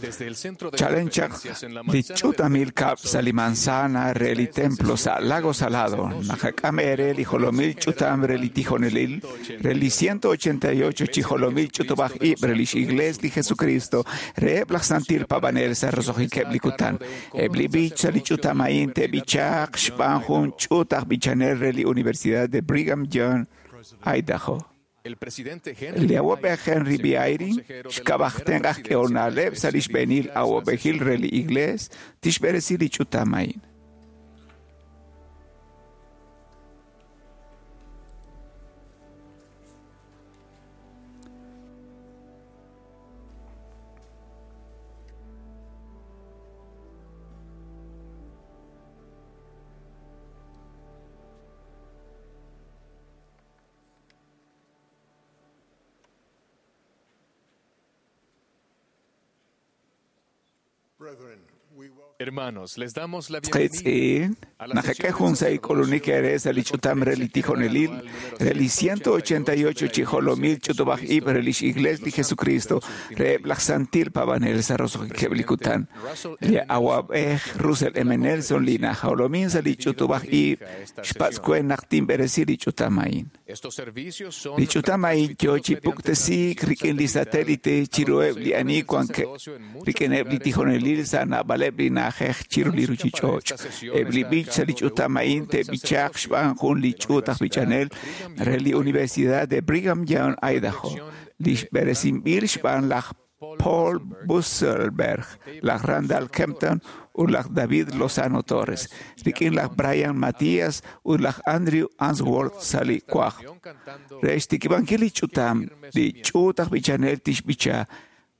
Desde el centro de Chalen chaq conferencias en la li manzana ch'utamil del kab' sa' li manzana re li templo sa' Lago Salado, naqak'am ere li jolomil ch'utam re li tijonelil, re li 188 chi jolomil ch'utub'aj ib' re lix Iglees li Jesucristo, reheb' laj Santil Paab'anel sa' roso'jikeb' li kutan. Eb' li b'ich sa' li ch'utam a'in te'b'ichaq xb'aan jun ch'uut aj b'ichanel re li Universidad de Brigham Young, Idaho. El presidente Henry Li awab'ej Henry B. Eyring, consejero de la xk'ab'aj primera tenq aj presidencia k'ehonaleb' de sa' li xb'eenil presidirá esta awab'ejil sesión. re li Iglees, tixb'eresi li ch'utam a'in. Brethren, we welcome Hermanos, les damos la bienvenida Qitz'in, a la naqak'e sesión jun de sa' ik'ulunik sacerdocio ere de sa' la li ch'utam re li Conferencia General tijonelil, Anual número re li 188 188 de la chi Iglesia jolomil de ch'utub'aj ib' Jesucristo re lix Iglees de li los Santos de Jesucristo, los Últimos reheb' Días. laj Santil Paab'anel sa' roso'jikeb' li Presidente kutan. Russell Li M. Nelson, awab'ej quien Russell preside M. la Nelson li conferencia, najolomin sa' ha li pedido ch'utub'aj que ib' dirija esta xpatz' sesión. kwe naq tinb'eresi li ch'utam a'in. Estos servicios son Li ch'utam a'in yo retransmitidos chi mediante puktesiik transmisión rik'in li satelital satélite a los chiruheb' li poseedores ani del wankeb' sacerdocio en muchos rik'ineb' li lugares en todo tijonelil el sa' mundo. naab'aleb' li na'ajej chiru La li música para ruchich'och'. esta sesión Eb' li está a b'ich sa' li cargo de un ch'utam a'in coro del te'b'ichaq sacerdocio xb'aan jun li de la ch'uut aj Universidad b'ichanel Brigham re Young, li Idaho, Universidad de Brigham Young, bajo la Idaho, dirección li de xb'eresinb'il Randall xb'aan Kempton, laj Paul Paul Busselberg Busselberg, y David laj Randall Lozano Kempton Torres. ut laj David Brian Lozano Torres, Matías y rik'in laj Andrew Brian Matías Answorth. ut laj Andrew El coro Answorth sa' abrirá li esta kwaj. reunión cantando Re xtikib'ankil li Qué ch'utam, firme li cimiento. ch'uut aj b'ichanel tixb'icha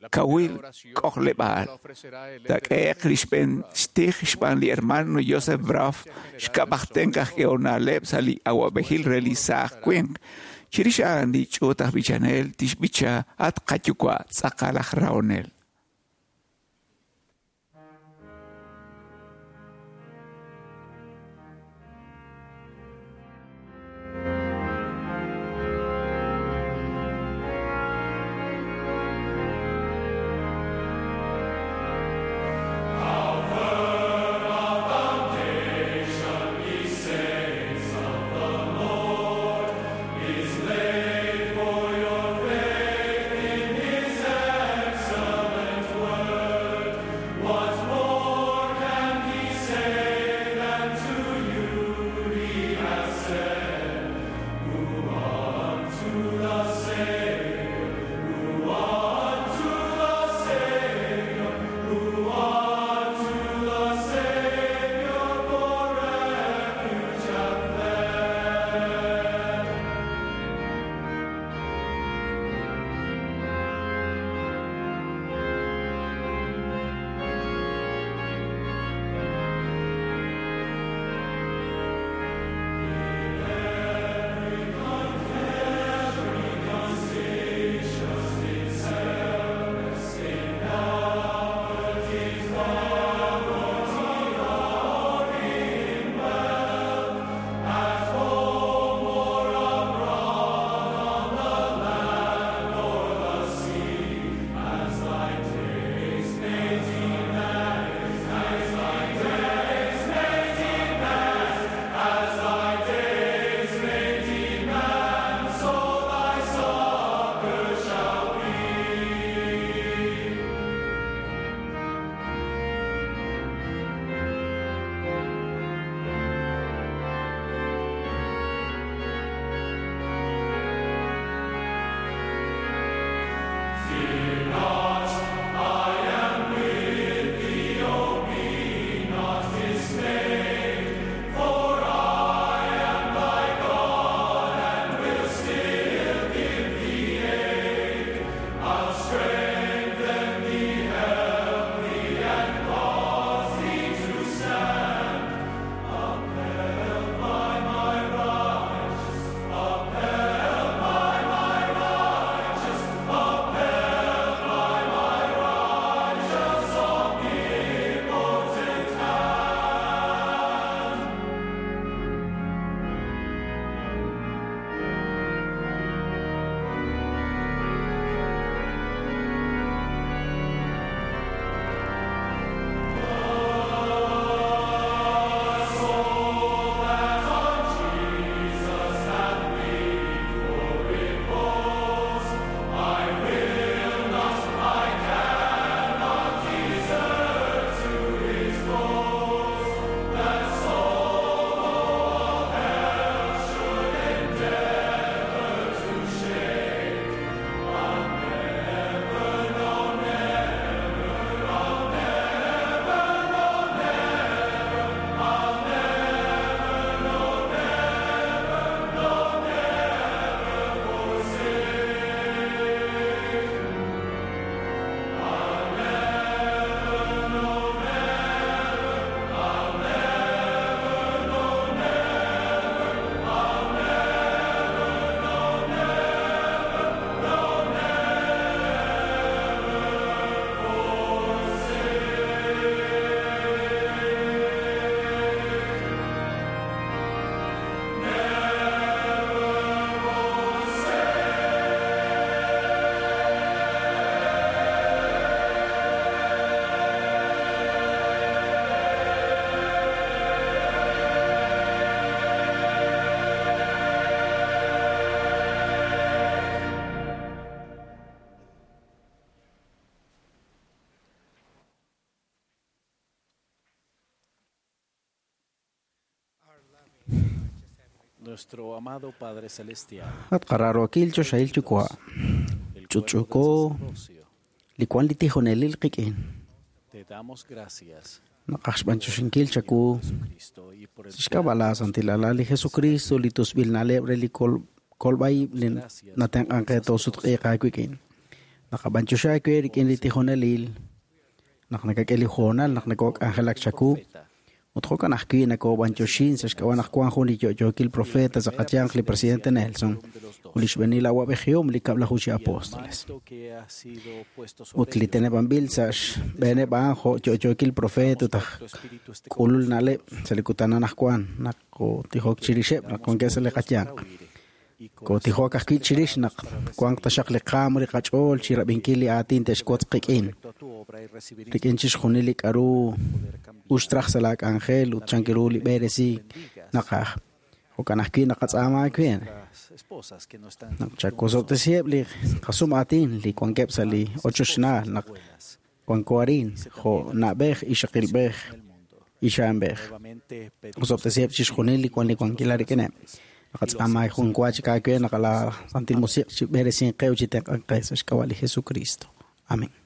La primera kawil oración k'ojleb'aal. la ofrecerá el elder Tak'e'q Henry li Joseph xb'een Ross, xtij xb'aan li miembro de hermano la Joseph Braff, Presidencia General xk'ab'aj sobre tenq aj el coro. k'ehonaleb' sa' li awab'ejil Después re el li coro saaj cantará winq. Chirix a'an li ch'uut aj b'ichanel tixb'icha at qayuwa' tz'aqal aj rahonel. Is laid for your faith in His excellence. Nuestro amado Padre Celestial, At qararokil choxahil yuwa' el cuerpo Ch'utch'uko del sacerdocio, li wan li tijonelil qik'in te damos gracias naqaj xb'anchuxinkil chaku Jesucristo y por el xk'ab'a' la santil alal li Jesucristo li tusb'il na'leb' re li kolb'ayib' li natenq'an qe toosutq'iiq aawik'in naqab'anchuxa aawe rik'in li tijonelil naq nakak'e li hoonal naq nakok'anjelak chaku ut jo'kan ajwi' nakob'anchuxin sa' xk'ab'a' naq wan jun li yo'yookil profeta sa' qayanq li presidente Nelson ut li xb'eenil awa'b'ejihom li kab'laju chi apóstoles manto que ha sido puesto sobre ut li teneb'anb'il sa' xb'eeneb' a'an jo' yo'yookil profeta ut aj tu espíritu esté k'ulul na'leb' sa' li kutan anaqwan naq kotijok chirixeb' naq wankeb' sa' li qayanq y kotijok ajwi' chirix naq wanq taxaq li qaam li qach'ool chi rab'inkil li aatin te'xwotz qik'in respecto a tu obra y recibir rik'in chixjunil li k'a'ru uxtraj sa' laa k'anjel ut chankiru li b'eresiik naqaj jo'kan ajwi' naqatz'aama aawe las esposas que no están naq chakosob'tesiheb' li qasum aatin li wankeb' sa' li ochochnaal naq buenas wanko arin jo' na'b'ej ixaqilb'ej en el mundo. ixa'anb'ej Nuevamente pedimos osob'tesiheb' chixjunil li wan li wankilal rik'ineb' naqatz'aama jun wa chik aawe naq la Santil Musiq' chi b'eresin qe ut chi tenq'an qe sa' xk'ab'a' li Jesucristo. Amén. Amen.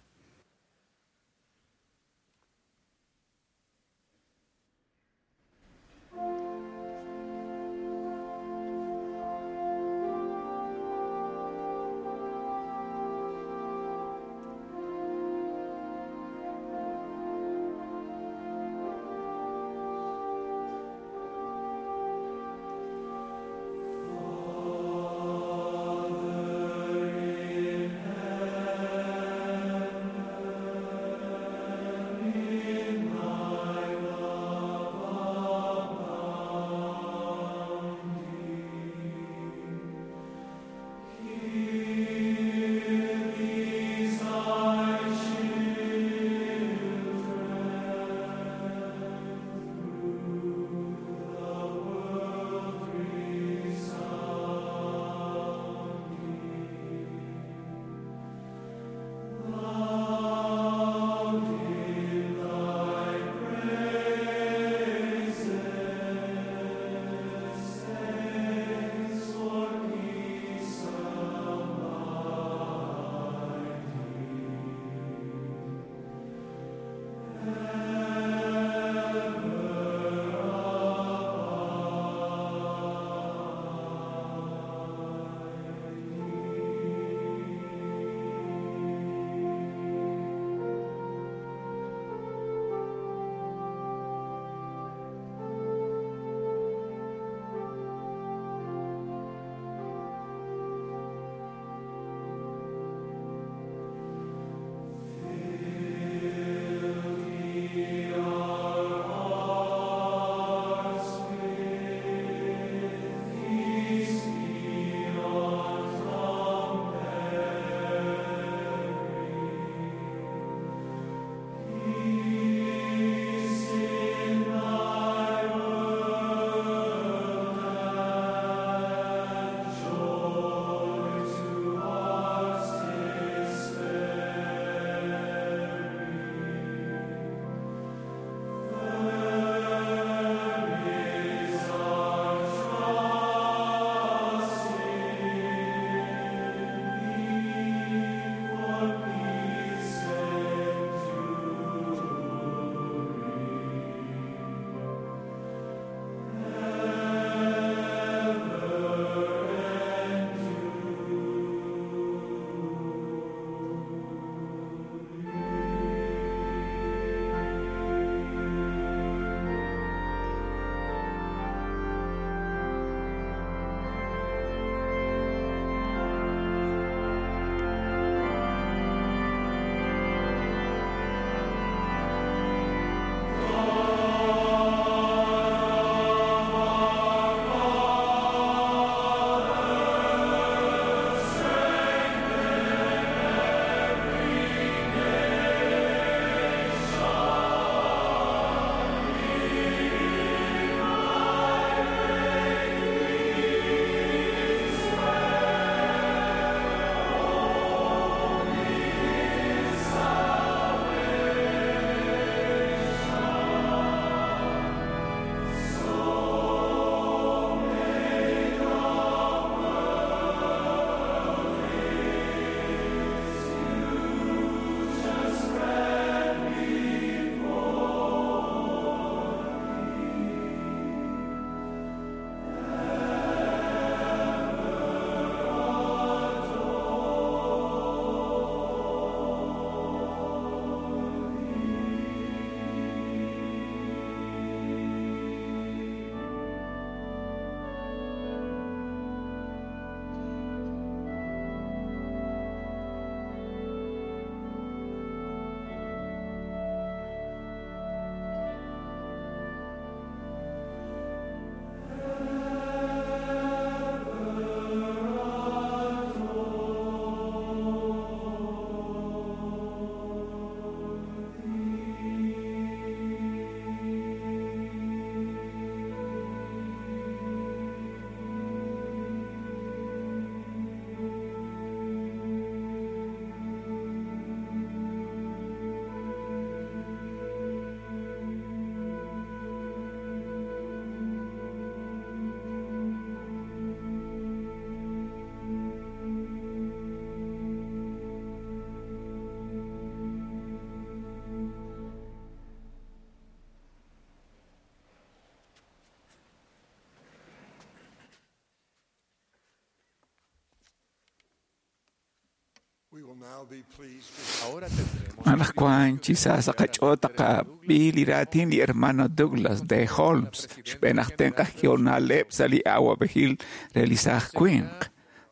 Anaqwan chi sa sa qach'ool taqab'i li raatin li hermano Douglas D. Holmes, xb'een aj tenq' aj k'ehol na'leb' sa' li awa'b'ejil re li saaj winq.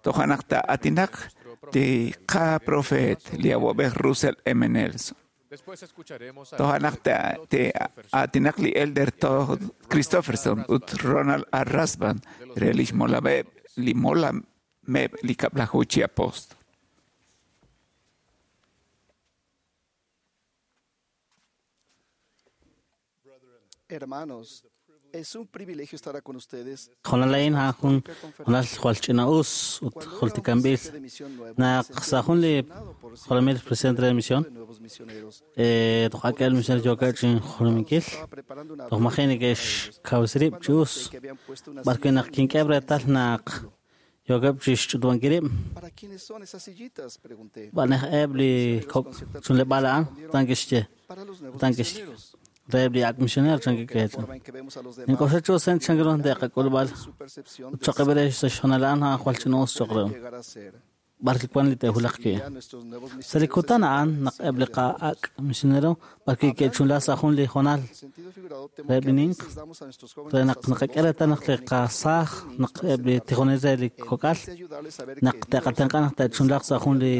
Toja' naq taa'aatinaq li qaprofeet, li awa'b'ej Russell M. Nelson. Toja' naq taa'aatinaq li Elder Todd Christofferson ut Ronald R. Rasband re lix molameb' li kab'laju chi apóstol. Hermanos, es un privilegio estar con ustedes. Jonalain ha jun jonal jwal ch'ina'us ut jultikanb'il naq sa' jun li jolomil presidente de misión toj ak'el misionero yookeb' chinjolominkil toj maji' neke'xkawresi rib' chi us b'arwi' naq kink'eb' reetal naq yookeb' chixch'utub'ankil rib' ¿Para quiénes son esas sillitas? Pregunté. b'anej eb' li kok' chunleb'aal a'an tan kixye Para los nuevos tan kixye misioneros. reheb' li ak' misionero chan Que la kike'chan forma en que vemos a los demás nink'oxla chu sen chan ru te'qak'ulb'al su percepción ut de choq'eb' re sa' xjonal a'an a'an jwal ch'ina'us choq' pueden reheb' llegar a ser. b'ar li wan li te'wulaq wi'. Ya nuestros nuevos Sa' li misioneros kutan a'an naq eb' li qa'ak' misionero b'arwi' ke'chunla sa' jun li jonal En sentido figurado, temo reheb' que li a ninq veces damos a nuestros re jóvenes naq naqak'e reetal naq li qasaaj naq eb' li tijonel re li kok'al de ayudarles a ver naq te'qatenq'a naq te'chunlaq sa' jun li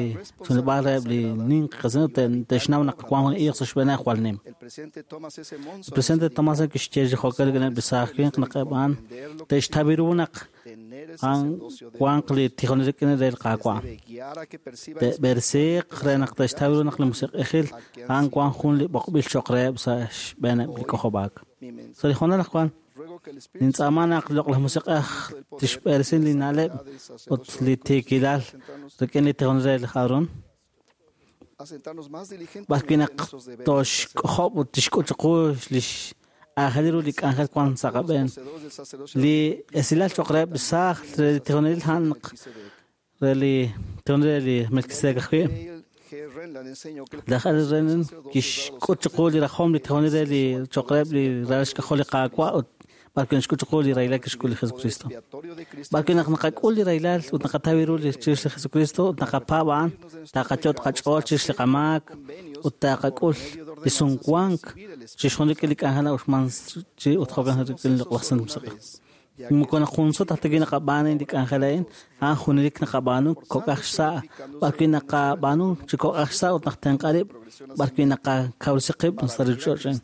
chunleb'aal reheb' li ninq qasino te'xnaw naq wan jun iiq sa' xb'eeneb' jwal nim. el presidente Thomas S. Monson El presidente Thomas kixye chi jo'kan rik'ineb' li saaj winq naq eb' a'an te'xtaw ru naq tener el a'an sacerdocio de wanq li tijonel rik'in re li Qaawa'. debe guiar a que perciban Te'b'eresiiq re naq te'xtaw ru naq li musiq'ejil a'an wan jun li b'oqb'il choq' reheb' sa' xb'eeneb' li k'ojob'aak. mi mensaje. Sa' li jonal aj wan, Ruego que el Espíritu nintz'aama naq loq'laj musiq'ej tixb'eresin li na'leb' ut li tiikilal rik'in li tijonel re li Aarón a sentarnos más diligentemente b'arwi' en naq nuestros deberes toxk'ojob' ut tixk'ut chiqu lix aajel ru li k'anjel wan sa' qab'een. poseedores del sacerdocio Li esilal choq' reheb' li saaj re li tijonelil a'an naq Melquisedec. re li tijonel re li Melquisedec ajwi'. Dale G. Renland enseñó que el Laj Al Renland kixk'ut chiqu li rajom li tijonel re li choq' reheb' li ralal xk'ajol li Qaawa' ut b'arwi' naxk'ut chiqu li rahilal kixk'ul li Jesucristo. expiatorio de Cristo B'arwi' naq naqak'ul li rahilal ut naqataw ru li chirix li Jesucristo ut naqapaab' a'an taqachot qach'ool chirix li qamaak ut taqak'ul li sumwank chixjunil rik'in li k'anjel na'uxman chi ut jo'kan rik'in li Loq'laj Santil Musiq'ej. Moko naq jun sut aj ta naqab'aanu li k'anjel a'in, a'an junelik naqab'aanu kok'aj xsa' b'arwi' naqab'aanu chi kok'aj xsa' ut naq tenq'a rib' b'arwi' naqakawresi qib' sa' ruuchich'och'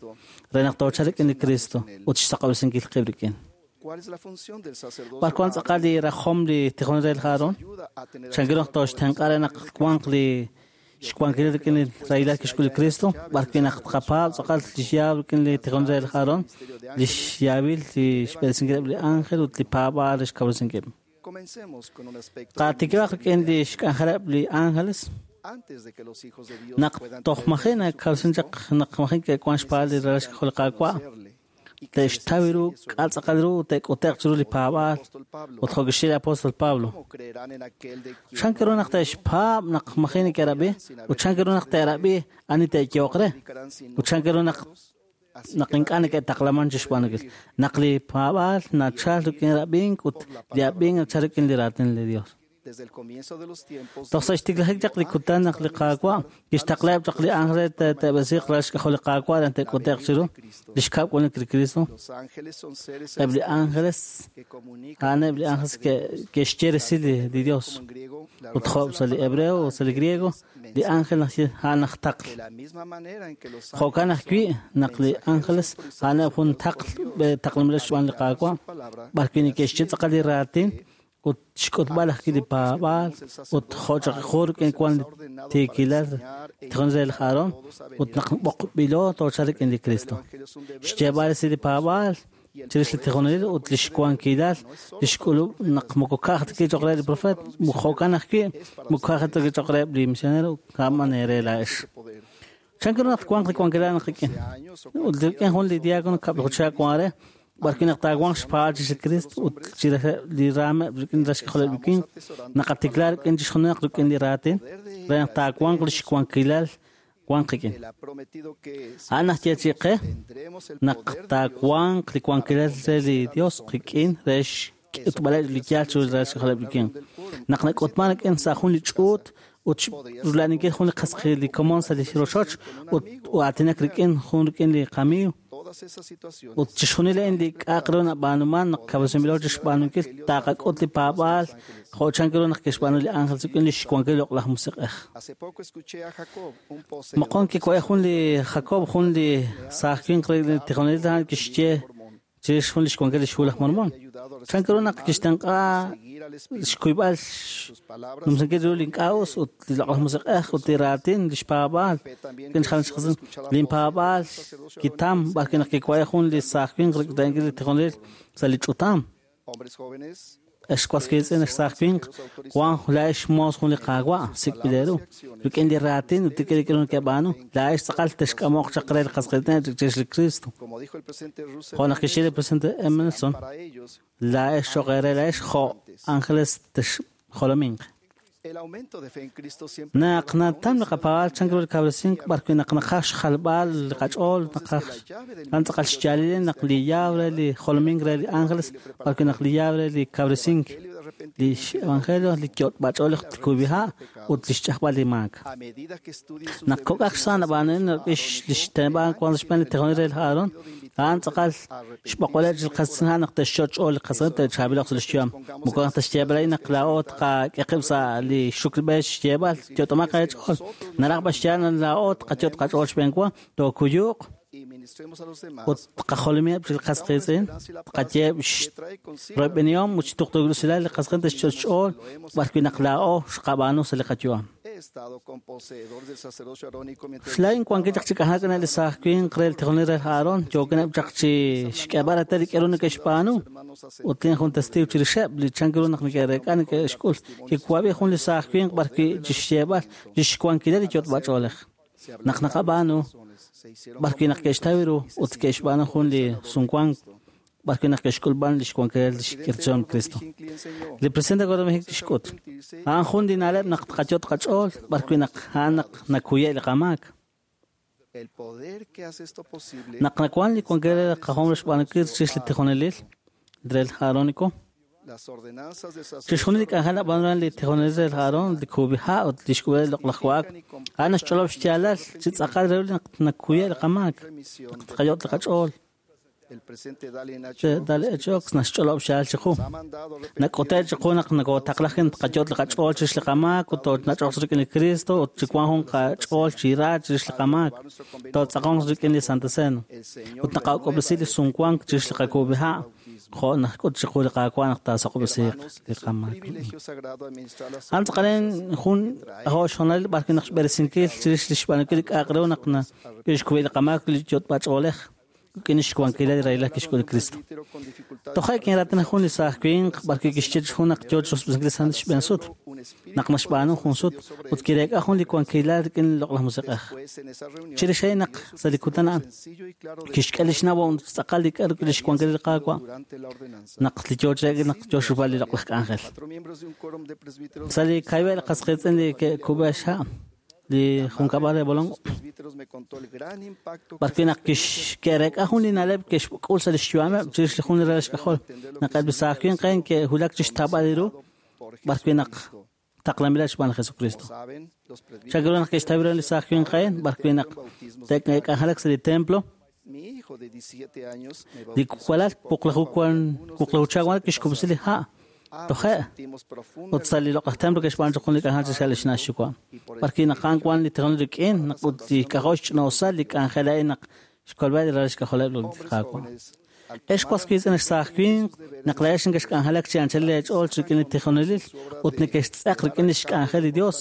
re naq toochal rik'in li Cristo ut xsaqob'resinkil qib' rik'in. ¿Cuál es la función del sacerdocio? B'ar wan tz'aqal li rajom li tijonel re li Aarón? Ayuda a tener Chankiru naq toxtenq'a re naq wanq li xwankil rik'in li rahilal kixk'ul li Cristo, b'arwi' naq tqapaab' tz'aqal li xyaab' rik'in li tijonel re li Aarón, li xyaab'il li xb'eresinkileb' li ángel ut li paab'aal re xkawresinkileb'. Comencemos con un aspecto Qaatikib'aq rik'in li xk'anjeleb' li ángeles antes de que los hijos de Dios naq puedan toj maji' nakawresin chaq naq maji' ke'wan xpaal li ralal xk'ajol li Qaawa' conocerle y que les te'xtaw ru enseñe su k'al tz'aqal ru ut te'k'ute'q chiru li paab'aal apóstol Pablo. ut jo' kixye li apóstol Pablo. ¿Cómo creerán en aquel de quien Chan ru naq te'xpaab' naq maji' neke'rab'i ut chan ru naq te'rab'i ani te'yooq re predicarán sin ut chan ru naq Así naq ink'a' neke'taqlaman chi xb'aanunkil naq li paab'aal nachal rik'in rab'ink ut li ab'ink nachal rik'in li raatin li Dios. desde el comienzo de los tiempos Toj sa' xtiklajik chaq li kutan naq li Qaawa' kixtaqlaheb' chaq li ángel re te'b'esiiq ralal xk'ajol li Qaawa' re te'k'ute'q chiru li xkab' k'unik li Cristo. los ángeles son seres Eb' li ángeles que comunican a'aneb' li ángeles ke'xye resil li Dios. como en griego la Ut raíz jo' de la sa' li palabra hebreo o sa' li griego li ángel naxye a'an aj taql. de la misma manera en que los Jo'kan ajwi' naq li ángeles a'aneb' jun taql taqlanb'il xb'aan li Qaawa' b'arwi' neke'xye tz'aqal li raatin ut xk'utb'al ajwi' li paab'aal ut jo' chaq ju rik'in wan li tiikilal tijonel re li Aarón ut naq b'oqb'ilo toochal rik'in li Cristo. Xyeeb'al resil li paab'aal chirix li tijonelil ut li xwankilal li xk'ulub' naq moko ka'aj ta kichoq re li profeet jo'kan ajwi' moko ka'aj ta kichoq reheb' li misionero ka'man re laa'ex. poder Chan ru naq wanq li wankilal naq rik'in años o ut rik'in jun li diácono kab'laju chihab' wan re b'arwi' naq taawanq xpaal chirix li Cristo ut chirix li raameb' rik'in li xk'ajoleb' li winq naqatikla rik'in chixjunil rik'in li raatin re naq taawanq li xwankilal wanq qik'in. él ha prometido que A'an najye chi qe tendremos el naq poder de Dios taawanq li wankilal re li Dios qik'in re xk'utb'aleb' li yaal chiru li ralal xk'ajoleb' li winq. Naq nak'utman rik'in sa' jun li ch'uut ut rula'aninkil jun li qas li komon sa' li rochoch ut aatinak rik'in jun rik'in li qamiiw ut chixjunil a'in li k'a'aq ru nab'aanuman naq kawresinb'ilo chixb'aanunkil taqak'ut li paab'aal jo' chan ru naq kixb'aanu li ángel rik'in li xwankil loq'laj musiq'ej. Moqon kiwa'e jun li Jacob jun li saaj winq re li tijonelil a'an kixye chirix jun li xwankil li xhu laj Mormon. Chan ru naq kixtenq'a xkuyb'al numsinkil ru li ink'a' us ut li loq'laj musiq'ej ut li raatin li xpaab'aal rik'in xjalan xqasin linpaab'aal kitam b'arwi' naq kiwa'e jun li saaj winq rik'in li tijonelil sa' li ch'utam. Ex was qiitz'in ex saaj winq wan laa'ex xmoos jun li Qaawa' sik'b'il eeru rik'in li raatin ut rik'in li k'aru nekeb'aanu laa'ex tz'aqal texk'amoq chaq re li qas qiitz'in chirix li Cristo. Jo' naq kixye li presidente Emerson laa'ex cho'q eere laa'ex jo' ángeles texjolominq. Naq natam li qapaab'aal chan ru li kawresink b'arwi' naq naqaj xjalb'al li qach'ool naqaj a'an tz'aqal xyaalil naq li llave re li jolomink re li ángeles b'arwi' naq li llave re li kawresink li evangelio li yot'b'ach'oolej li kub'iha' ut li xch'ajb'al li maak. Naq kok'aj xsa' nab'aanunin li xteneb'an wan sa' xb'een li tijonelil re laj Aarón a'an tz'aqal xb'oqb'aleb' chi qas naq te'xch'ool li qas te'chaab'iloq sa' li xyu'am. Moko naq texyeeb'al a'in naq laa'o tqak'e qib' sa' li xuklb'e xyeeb'al yot'omaq eech'ool. Naraj b'an xyaal naq laa'o tqayot' qach'ool xb'een wa tookuyuq ut tqajolomiheb' chi qas qiitz'in tqayeeb' royb'enihom ut xtuqtuukil li qas qiitz'in te'xch'ool b'arwi' naq laa'o xqab'aanu sa' li qayu'am. Xlaa'in wankil chaq chi k'anjelak li saaj winq re li tijonelil re Aarón yookineb' chaq chi xk'eeb'al reetal li k'aru neke'xb'aanu ut lin jun testiiw chirixeb' li chan ru naq neke'reek'a neke'xk'ul kiwab'i jun li saaj winq b'arwi' chi xyeeb'al li xwankilal li yot'b'ach'oolej. Naq naqab'aanu b'arwi' naq ke'xtaw ru ut ke'xb'aanu jun li sumwank b'arwi' naq ke'xk'ulb'an li xwankilal li xk'irtzuhom Cristo. Li presidente Gordon B. Hinckley xk'ut a'an jun li na'leb' naq tqayot' qach'ool b'arwi' naq a'an naq nakuye' li qamaak. Naq nawan li wankilal qajom re xb'aanunkil chirix li tijonelil re laj Aarónico chixjunil li k'anjel nab'aanuman li tijonelil re laj Aarón li kub'iha' ut li xk'ub'el loq'laj wa'ak a'an naxch'olob' xyaalal chi tz'aqal re naq nakuye' li qamaak naq tqayot' li qach'ool. Dale H. Oaks naxch'olob' xyaalal chiqu. Nak'ute' chiqu naq nakotaqlaj tqayot' li qach'ool chirix li qamaak ut toonach'oq rik'in li Cristo ut chi wan jun qach'ool chi ra chirix li qamaak tootz'aqonq rik'in li Santa Cena ut naqak'ob'resi li sumwank chirix li qakub'iha' jo' nak'ut chiqu li Qaawa' naq taasoq'ob'resiiq li qamaak. A'an tz'aqalen jun jo' xjonalil b'arwi' naq xb'eresinkil chirix li xb'aanunkil li k'a'aq ru naq kixkuy li qamaak li yot'b'ach'oolej rik'in xwankilal li rahilal kixk'ul li Cristo. Toja' kinraatina jun li saaj winq b'arwi' kixye jun naq yoo chixb'isinkil li sant xb'een sut naq naxb'aanu jun sut ut kireek'a jun li wankilal rik'in li loq'laj musiq'ej. Chirix a'in naq sa' li kutan a'an kixk'e li xnawom tz'aqal li k'aru li xwankilal li Qaawa' naq li yoo chirek naq yoo xrub'al li loq'laj k'anjel. Sa' li kayb'e li qas qiitz'in li ke'kub'e xha' li junkab'al re Bolongo b'arwi' naq ke'reek'a jun li na'leb' ke'xk'ul sa' li xyu'ameb' chirix li jun li ralal xk'ajol naq eb' li saaj winq a'in ke'wulak chixtawb'al ru b'arwi' naq taqlanb'ileb' xb'aan li Jesucristo. Chan ru naq ke'xtaw ru li saaj winq a'in b'arwi' naq te'k'anjelak sa' li templo li walal wuqlaju chawan kixkub'si li ha' toje' ut sa' li loq'laj templo ke'xb'aanu chaq jun li k'anjel chixjal li xna' xyuwa'. B'arwi' naq a'an wan li tijonelil rik'in naq ut li k'ajol xch'ina'usal li k'anjel a'in naq xkolb'al li ralal xk'ajoleb' li Qaawa'. Ex was qiitz'in ex saaj winq naq laa'ex nekexk'anjelak chi anchal leech'ool rik'in li tijonelil ut nekextz'eq rik'in li xk'anjel li Dios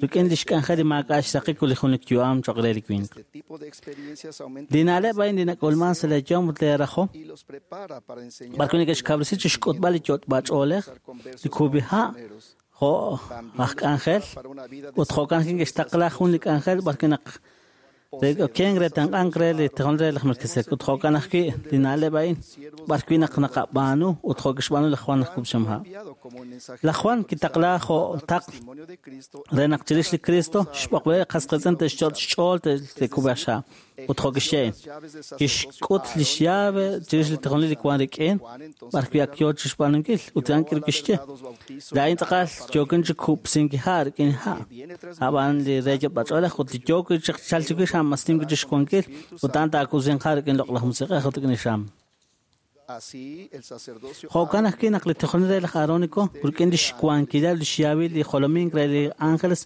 rik'in li xk'anjel li maak'a' xsaqik ut li junelik yu'am cho'q re li winq. Li na'leb' a'in li nak'ulman sa' leeyom ut leerajom b'arwi' neke'xkawresi chi xk'utb'al li yot'b'ach'oolej li kub'iha' jo' aj k'anjel ut jo'kan neke'xtaqla jun li k'anjel b'arwi' naq Okenk re tenq'ank re li tijonelil re laj Melquisedec ut jo'kan ajwi' li na'leb' a'in b'arwi' naq naqab'aanu ut jo' kixb'aanu laj Juan aj Kub'sihom ha'. Laj Juan kitaqla jo' taql re naq chirix li Cristo xb'oqb'aleb' qas qiitz'in te'xyot' xch'ool te'kub'e xha'. Ut jo' kixye a'in. Kixk'ut lix llave chirix li tijonelil li wan rik'in, b'ar wi' ak yoo chixb'aanunkil. Ut a'an kixye, laa'in tz'aqal yookin chi kub'sink ha' rik'in ha'. Ab'an li re yot'b'ach'oolej ut li yoo wi' chaq chal chiwix a'an mas nim wi' chixwankil ut a'an taakub'sinq ha' rik'in loq'laj musiq'ej ut rik'in li xam. Jo'kan ajwi' naq li tijonelil re laj Aarónico rik'in lix wankilal lix yaawil li jolomink re li ángeles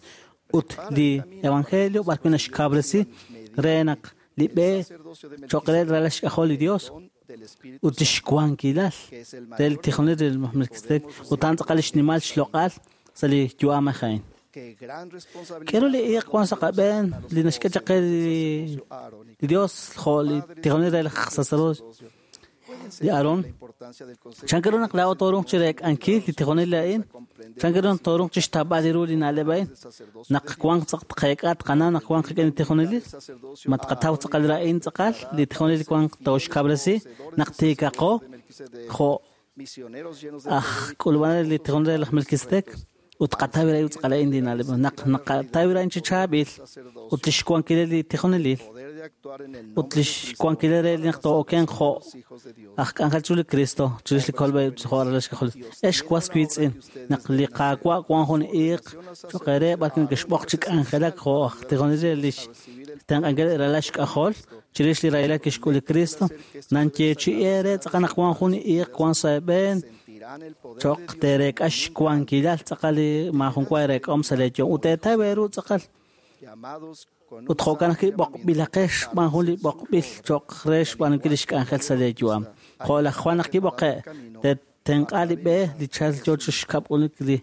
ut li evangelio b'ar wi' naxkawresi re naq li b'e cho'q re ralal xk'ajol li Dios ut lix wankilal re li tijonelil re Melquisedec ut a'an tz'aqal lix nimal xloq'al sa' li yu'am a'in. K'aru li iiq wan sa' qab'een li naxk'e chaq qe li Dios jo' li tijonelil re laj sacerdote li Aarón? Chan ru naq laa'o tooruuq chi reek'ankil li tijonelil a'in? Chan ru naq tooruuq chi xtawb'al ru li na'leb' a'in? Naq wanq tz'aq tqeek'a tqana naq wanq rik'in li tijonelil? Ma tqataw tz'aqal a'in tz'aqal li tijonelil wanq tooxkawresi naq tiikaqo jo' aj k'ulub'anel li tijonelil re laj Melquisedec? Ut tqataw ru tz'aqal a'in li na'leb' naq naqataw ru a'in chi chaab'il ut lix wankilal li tijonelil ut lix wankilal re naq too'okenq jo' aj k'anjel chiru li Cristo chirix li kolb'e jo' ralal xk'ajol. Ex was wiitz'in naq li Qaawa' wan jun iiq cho'q eere b'ar wi' nekexb'oq chi k'anjelak jo' aj tijonelil re lix tenq'ankil ralal xk'ajol chirix li rahilal kixk'ul li Cristo nanyeechi'i eere tz'aqal naq wan jun iiq wan sa' eeb'een cho'q teereek'a xwankilal tz'aqal li maajun wa ereek'ahom sa' lee yu'am ut teetaw eeru tz'aqal ut jo'kan ajwi' b'oqb'ilaqex xb'aan jun li b'oqb'il cho'q re xb'aanunkil lix k'anjel sa' lee yu'am. Jo' laj Juan naq kib'oqe' te'tenq'a li b'e li chal yoo chi xkab'unik li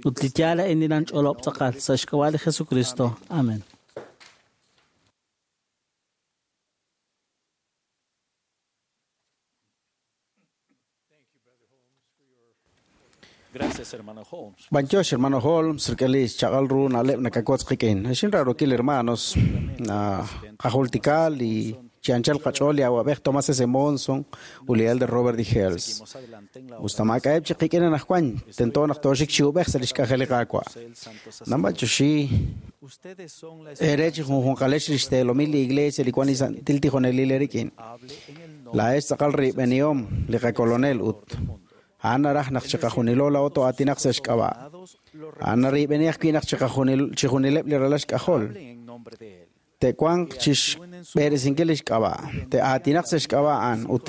ut li yaal a'in li nanch'olob' tz'aqal sa' xk'ab'a' li Jesucristo. Amen. Gracias, hermano Holmes. Banchosh, hermano Holmes, rik'in chaq'al ru na'leb' nakakotz qik'in. Xin rarokil hermanos, na qajultikal y chi anchal qach'ool li awab'ej Thomas S. Monson u li elder Robert D. Hales. Seguimos adelante en la obra Ustamak'aeb' chi qik'in anajwan, tento naq tooxik chi ub'ej sa' lix k'anjel li Qaawa'. el Santo Sacerdote. Nambachoxi Ustedes son la ere chi junjunqalex lix teelomil li iglesia li wan li santil tijonelil erik'in. hable en el nombre Laa'ex tz'aqal riib'enihom li qakolonel ut a'an naraj naq chiqajunilo laa'o to'aatinaq sa' xk'ab'a'. lo A'an nariib'eni ajwi' naq chijunileb' li ralal xk'ajol. hable en nombre de él. Te'wanq chixb'eresinkil lix k'ab'a', te'aatinaq sa' xk'ab'a' a'an ut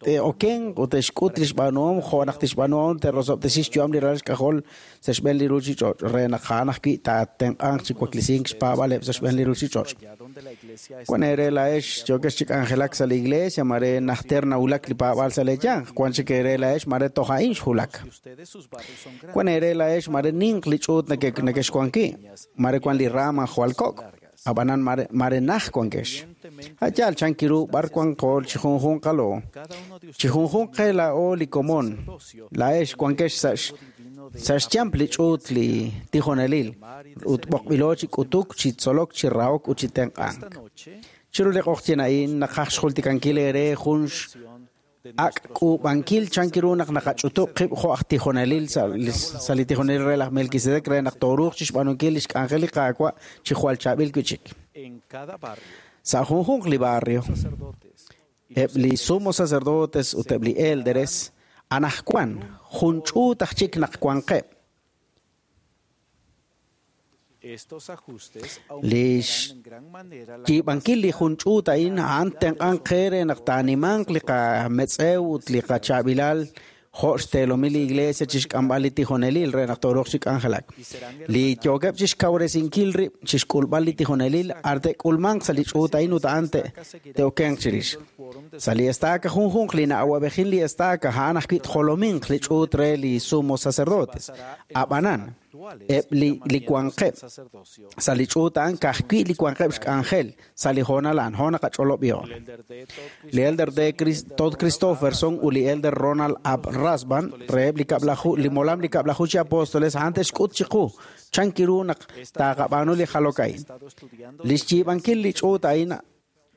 te'okenq ut te'xk'ut lix b'aanuhom jo' naq tixb'aanuhom te'rosob'tesi xyu'am li ralal xk'ajol sa' xb'een li ruuchich'och' re naq a'an ajwi' taatenq'anq chi waklisink xpaab'aleb' sa' xb'een li ruuchich'och'. Allá donde la iglesia Wan ere laa'ex yookex chi k'anjelak sa' li iglesia mare najter nawulak li paab'al sa' leeyanq, wan chik ere laa'ex mare toj a'in xjulak. y ustedes sus barrios son grandes. Wan ere laa'ex mare ninq li ch'uut nakexwanki, mare wan li rama jwal kok', ab'anan mare naj wankex. A'yaal chan kiru b'ar wan qool chi junjunqalo. Cada uno de Chi junjunq qe laa'o li komon, laa'ex wankex sa' xyamp li ch'uut li tijonelil, ut b'oqb'ilo chi k'utuk, chi tzolok, chi rahok ut chi tenq'ank. esta noche Chiru li q'oqtyin a'in naqaj xjultikankil ere jun de ak' k'uub'ankil chan kiru naq naqach'utub' qib' jo' aj tijonelil sa' li tijonelil re laj Melquisedec re naq tooruuq chixb'aanunkil lix k'anjel li Qaawa' chi jwal chaab'il wi' chik. en cada barrio Sa' junjunq li barrio, sacerdotes eb' li sumo sacerdotes ut eb' li elderes anajwan jun ch'uut aj chik naq wanqeb'. estos ajustes Lix aumentarán en gran manera la yiib'ankil li jun ch'uut a'in a'an tenq'anq qe re naq taanimanq li qametz'ew ut li qachaab'ilal jo' xteelomil li iglesia chixk'amb'al li tijonelil re naq tooruuq chi k'anjelak. Li yookeb' chixkawresinkil rib' chixk'ulb'al li tijonelil ar te'k'ulmanq sa' li ch'uut a'in ut a'an te'okenq chirix. Sa' li estaca junjunq li na'awab'ejil li estaca a'an ajwi' tjolominq li ch'uut re li sumo sacerdotes. Ab'anan, eb' li wanqeb' sacerdocio. sa' li ch'uut a'an ka'ajwi' li wanqeb' xk'anjel sa' li hoonal a'an ho naqach'olob'ihom. El elder D. Todd Li elder D. Todd Christofferson ut li elder Ronald Ab Rasban reheb' li kab'laju li molam li kab'laju chi apóstoles a'an te'xk'ut chiqu chan kiru naq taaqab'aanu li jalok a'in. estado estudiando Lix yiib'ankil li ch'uut a'in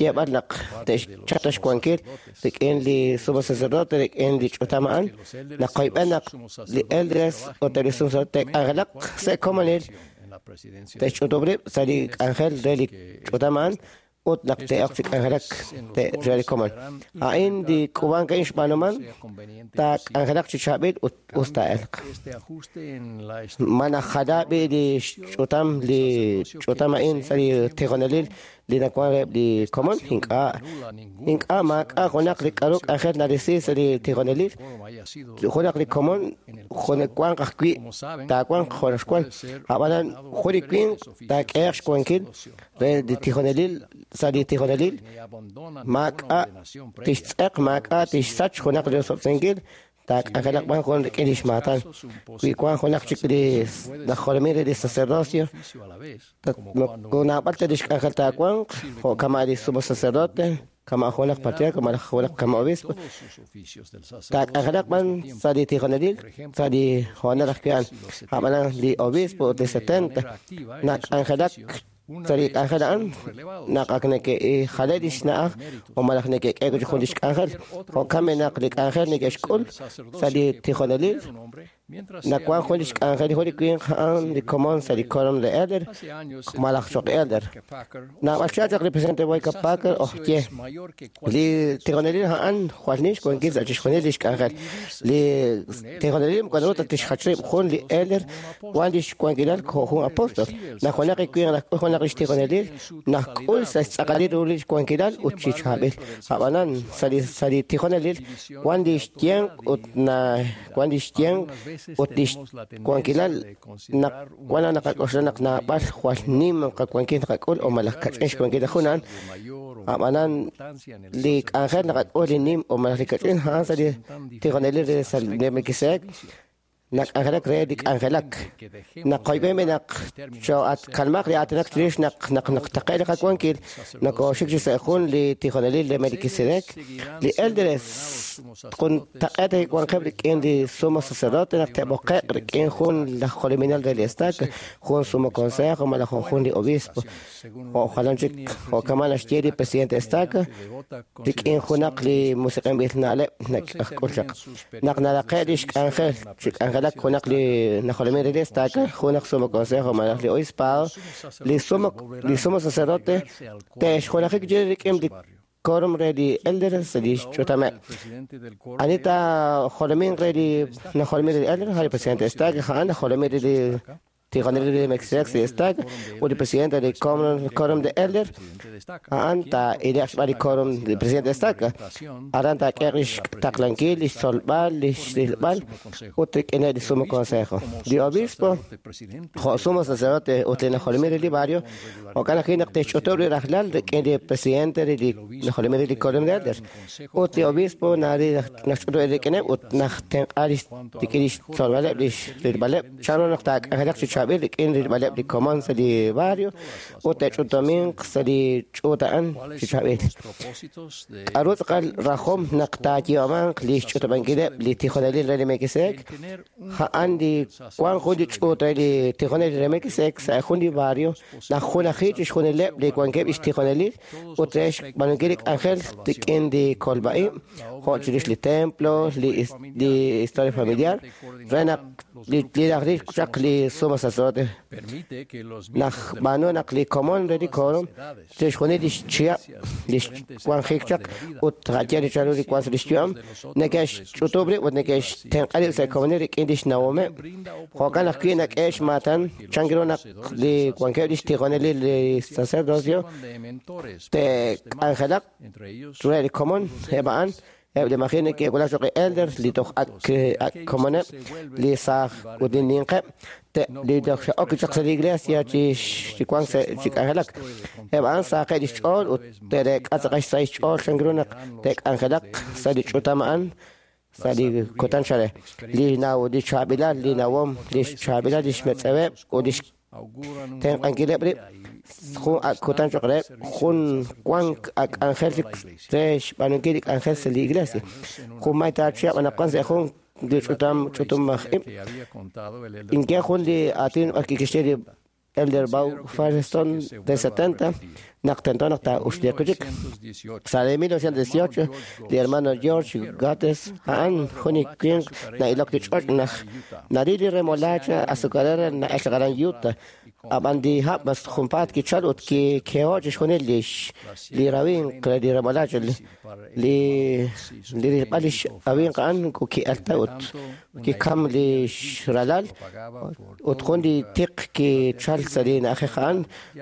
xyeeb'al naq te'xchap ta xwankil rik'in li sumo sacerdote rik'in li ch'utam a'an. Naqoyb'en naq li elders ut eb' li sumo sacerdote te'k'anjelaq sa' komonil, te'xch'utub' rib' sa' li k'anjel re li ch'utam a'an ut naq te'ok chi k'anjelak re li komon. A'in li k'uub'ank a'in xb'aanuman taak'anjelaq chi chaab'il ut us taa'elq. Ma najala b'i li xch'utam li ch'utam a'in sa' li tijonelil li nawan reheb' li komon? Ink'a', ink'a' maak'a' junaq li k'a'ru k'anjel narisi sa' li tijonelil. Junaq li komon jun wanq ajwi' taawanq jo' naxwan. A'b'anan jun li winq taak'ehaq xwankil re li tijonelil sa' li tijonelil, maak'a' tixtz'eq, maak'a' tixsach junaq li rosob'tesinkil, taak'anjelaq b'an jun rik'in lix maatan. Wi wan junaq chik li najolomin re li sacerdocio, moko naab'al ta lix k'anjel taawanq, jo' kama' li sumo sacerdote, kama' junaq patriarca malaj junaq kama' obispo, taak'anjelaq b'an sa' li tijonelil sa' li hoonal ajwi' a'an. A'b'anan li obispo ut li 70 nak'anjelak sa' li k'anjel a'an naq ak neke'jale lix na'aj o malaj neke'k'e jun lix k'anjel. Jo'kan naq li k'anjel neke'xk'ul sa' li tijonelil nawan jun lix k'anjel jun li winq a'an li komon sa' li quórum de elder malaj choq' elder. Naab'al chaq li presidente Boyka Packer ojye li tijonelil a'an jwal nim xwankil sa' chixjunil lix k'anjel. Li tijonelil moko naru ta tixjach rib' jun li elder wan lix wankilal jo' jun apóstol. Naq junaq li winq nak'ul junaq lix tijonelil nak'ul sa' xtz'aqalil ru lix wankilal ut chi chaab'il. A'b'anan sa' li tijonelil wan lix yenq ut na wan lix yenq ut lix wankilal naq wan naqak'oxla naq naab'al jwal nim qawankil naqak'ul o malaj kach'in xwankil junan. A'b'anan li k'anjel naqak'ul li nim o malaj li kach'in a'an sa' li tijonelil re sa' li Melquisedec nak'anjelak re li k'anjelak. Naqoyb'en naq cho'atkalmaq li aatinak chirix naq naq naqtaqe' li qawankil nokooxik chi sa' jun li tijonelil re Melquisedec. Li elders juntaq'eet wanqeb' rik'in li sumo sacerdote naq te'b'oqe'q rik'in jun laj jolominel re li estaca, jun sumo consejo malaj jun li obispo. Jo' jalan chik jo' kama' naxye li presidente estaca rik'in junaq li musiq'inb'il na'leb' nak'ul chaq. Naq naraqe' lix k'anjel chi k'anjelak junaq li najolomin re li estaca, junaq sumo consejo malaj li obispado, li sumo sacerdote te'xjunajik rik'in li quórum re li elders li xch'utameb'. Anita jolomin re li najolomin re li elder, li presidente estaca, a'an najolomin re li tijonelil re Melquisedec li estaca, ut li presidente li quórum de elder, a'an ta ileq xb'aan li quórum li presidente estaca. Aran taak'eq lix taqlankil, lix tzolb'al, lix rilb'al, ut rik'in li sumo consejo. Li obispo, jo' sumo sacerdote ut li najolomin re li barrio, jo'kan ajwi' naq te'xch'utub' li rajlal rik'in li presidente re li najolomin re li quórum de elder. Ut li obispo nari naxch'utub' rik'ineb' ut najtenq'a rik'in lix tzolb'aleb' lix rilb'aleb' chanru naq taak'anjelaq chi chaab'il rik'in rilb'aleb' li komon sa' li barrio ut te'ch'utuminq sa' li ch'uut a'an chi chaab'il. K'a'ru tz'aqal rajom naq taayiib'amanq li xch'utub'ankileb' li tijonelil re li Melquisedec? A'an li wan jun li ch'uut re li tijonelil re Melquisedec sa' jun li barrio naq junaji chixjunileb' li wankeb' lix tijonelil ut re xb'aanunkil li k'anjel rik'in li kolb'a'ib' jo' chirix li templo, li historia familiar, re naq li rajlil chaq li sumo sacerdote naj b'aanu naq li komon re li quórum chixjunil lix chihab' lix wanjik chaq ut ja'ye li chalu li wan sa' lix yu'am neke'xch'utub' rib' ut neke'xtenq'a rib' sa' komonil rik'in lix nawomeb'. Jo'kan ajwi' nak'e xmaatan chan ru naq li wankeb' lix tijonelil li sacerdocio te'k'anjelaq re li komon eb' a'an eb' li maji neke'wulak choq' elders li toj ak komoneb' li saaj ut li ninqeb' li toj xe'ok chaq sa' li iglesia chi wank sa' chi k'anjelak. Eb' a'an saaqe' lix ch'ool ut te'reek'a tz'aqal xsahil xch'ool chan ru naq te'k'anjelaq sa' li ch'utam a'an sa' li kutan chale. Li naw li chaab'ilal li nawom li xchaab'ilal lix metz'eweb' ut lix tenq'ankileb' rib' jun ak kutan choq' reheb' jun wank ak k'anjel re xb'aanunkil li k'anjel sa' li iglesia. Jun may taachihab' anaqwan sa' jun li ch'utam ch'utum aj ib'. Ink'e jun li aatin b'ar kixye li Elder Bow Firestone de 70 Naq tento naq taa'uxliiq wi' chik. Sa' li 1918, li hermano George Gates a'an jun li winq na'ilok li ch'och' naq naril li remolacha azucarera na'el chaq aran Utah. Ab'an li hab' mas junpaat kichal ut kikeho' chixjunil li rawimq re li remolacha. Li rilb'al lix awimq a'an ki'alta ut kikam lix ralal ut jun li tiq kichal sa' li na'ajej a'an,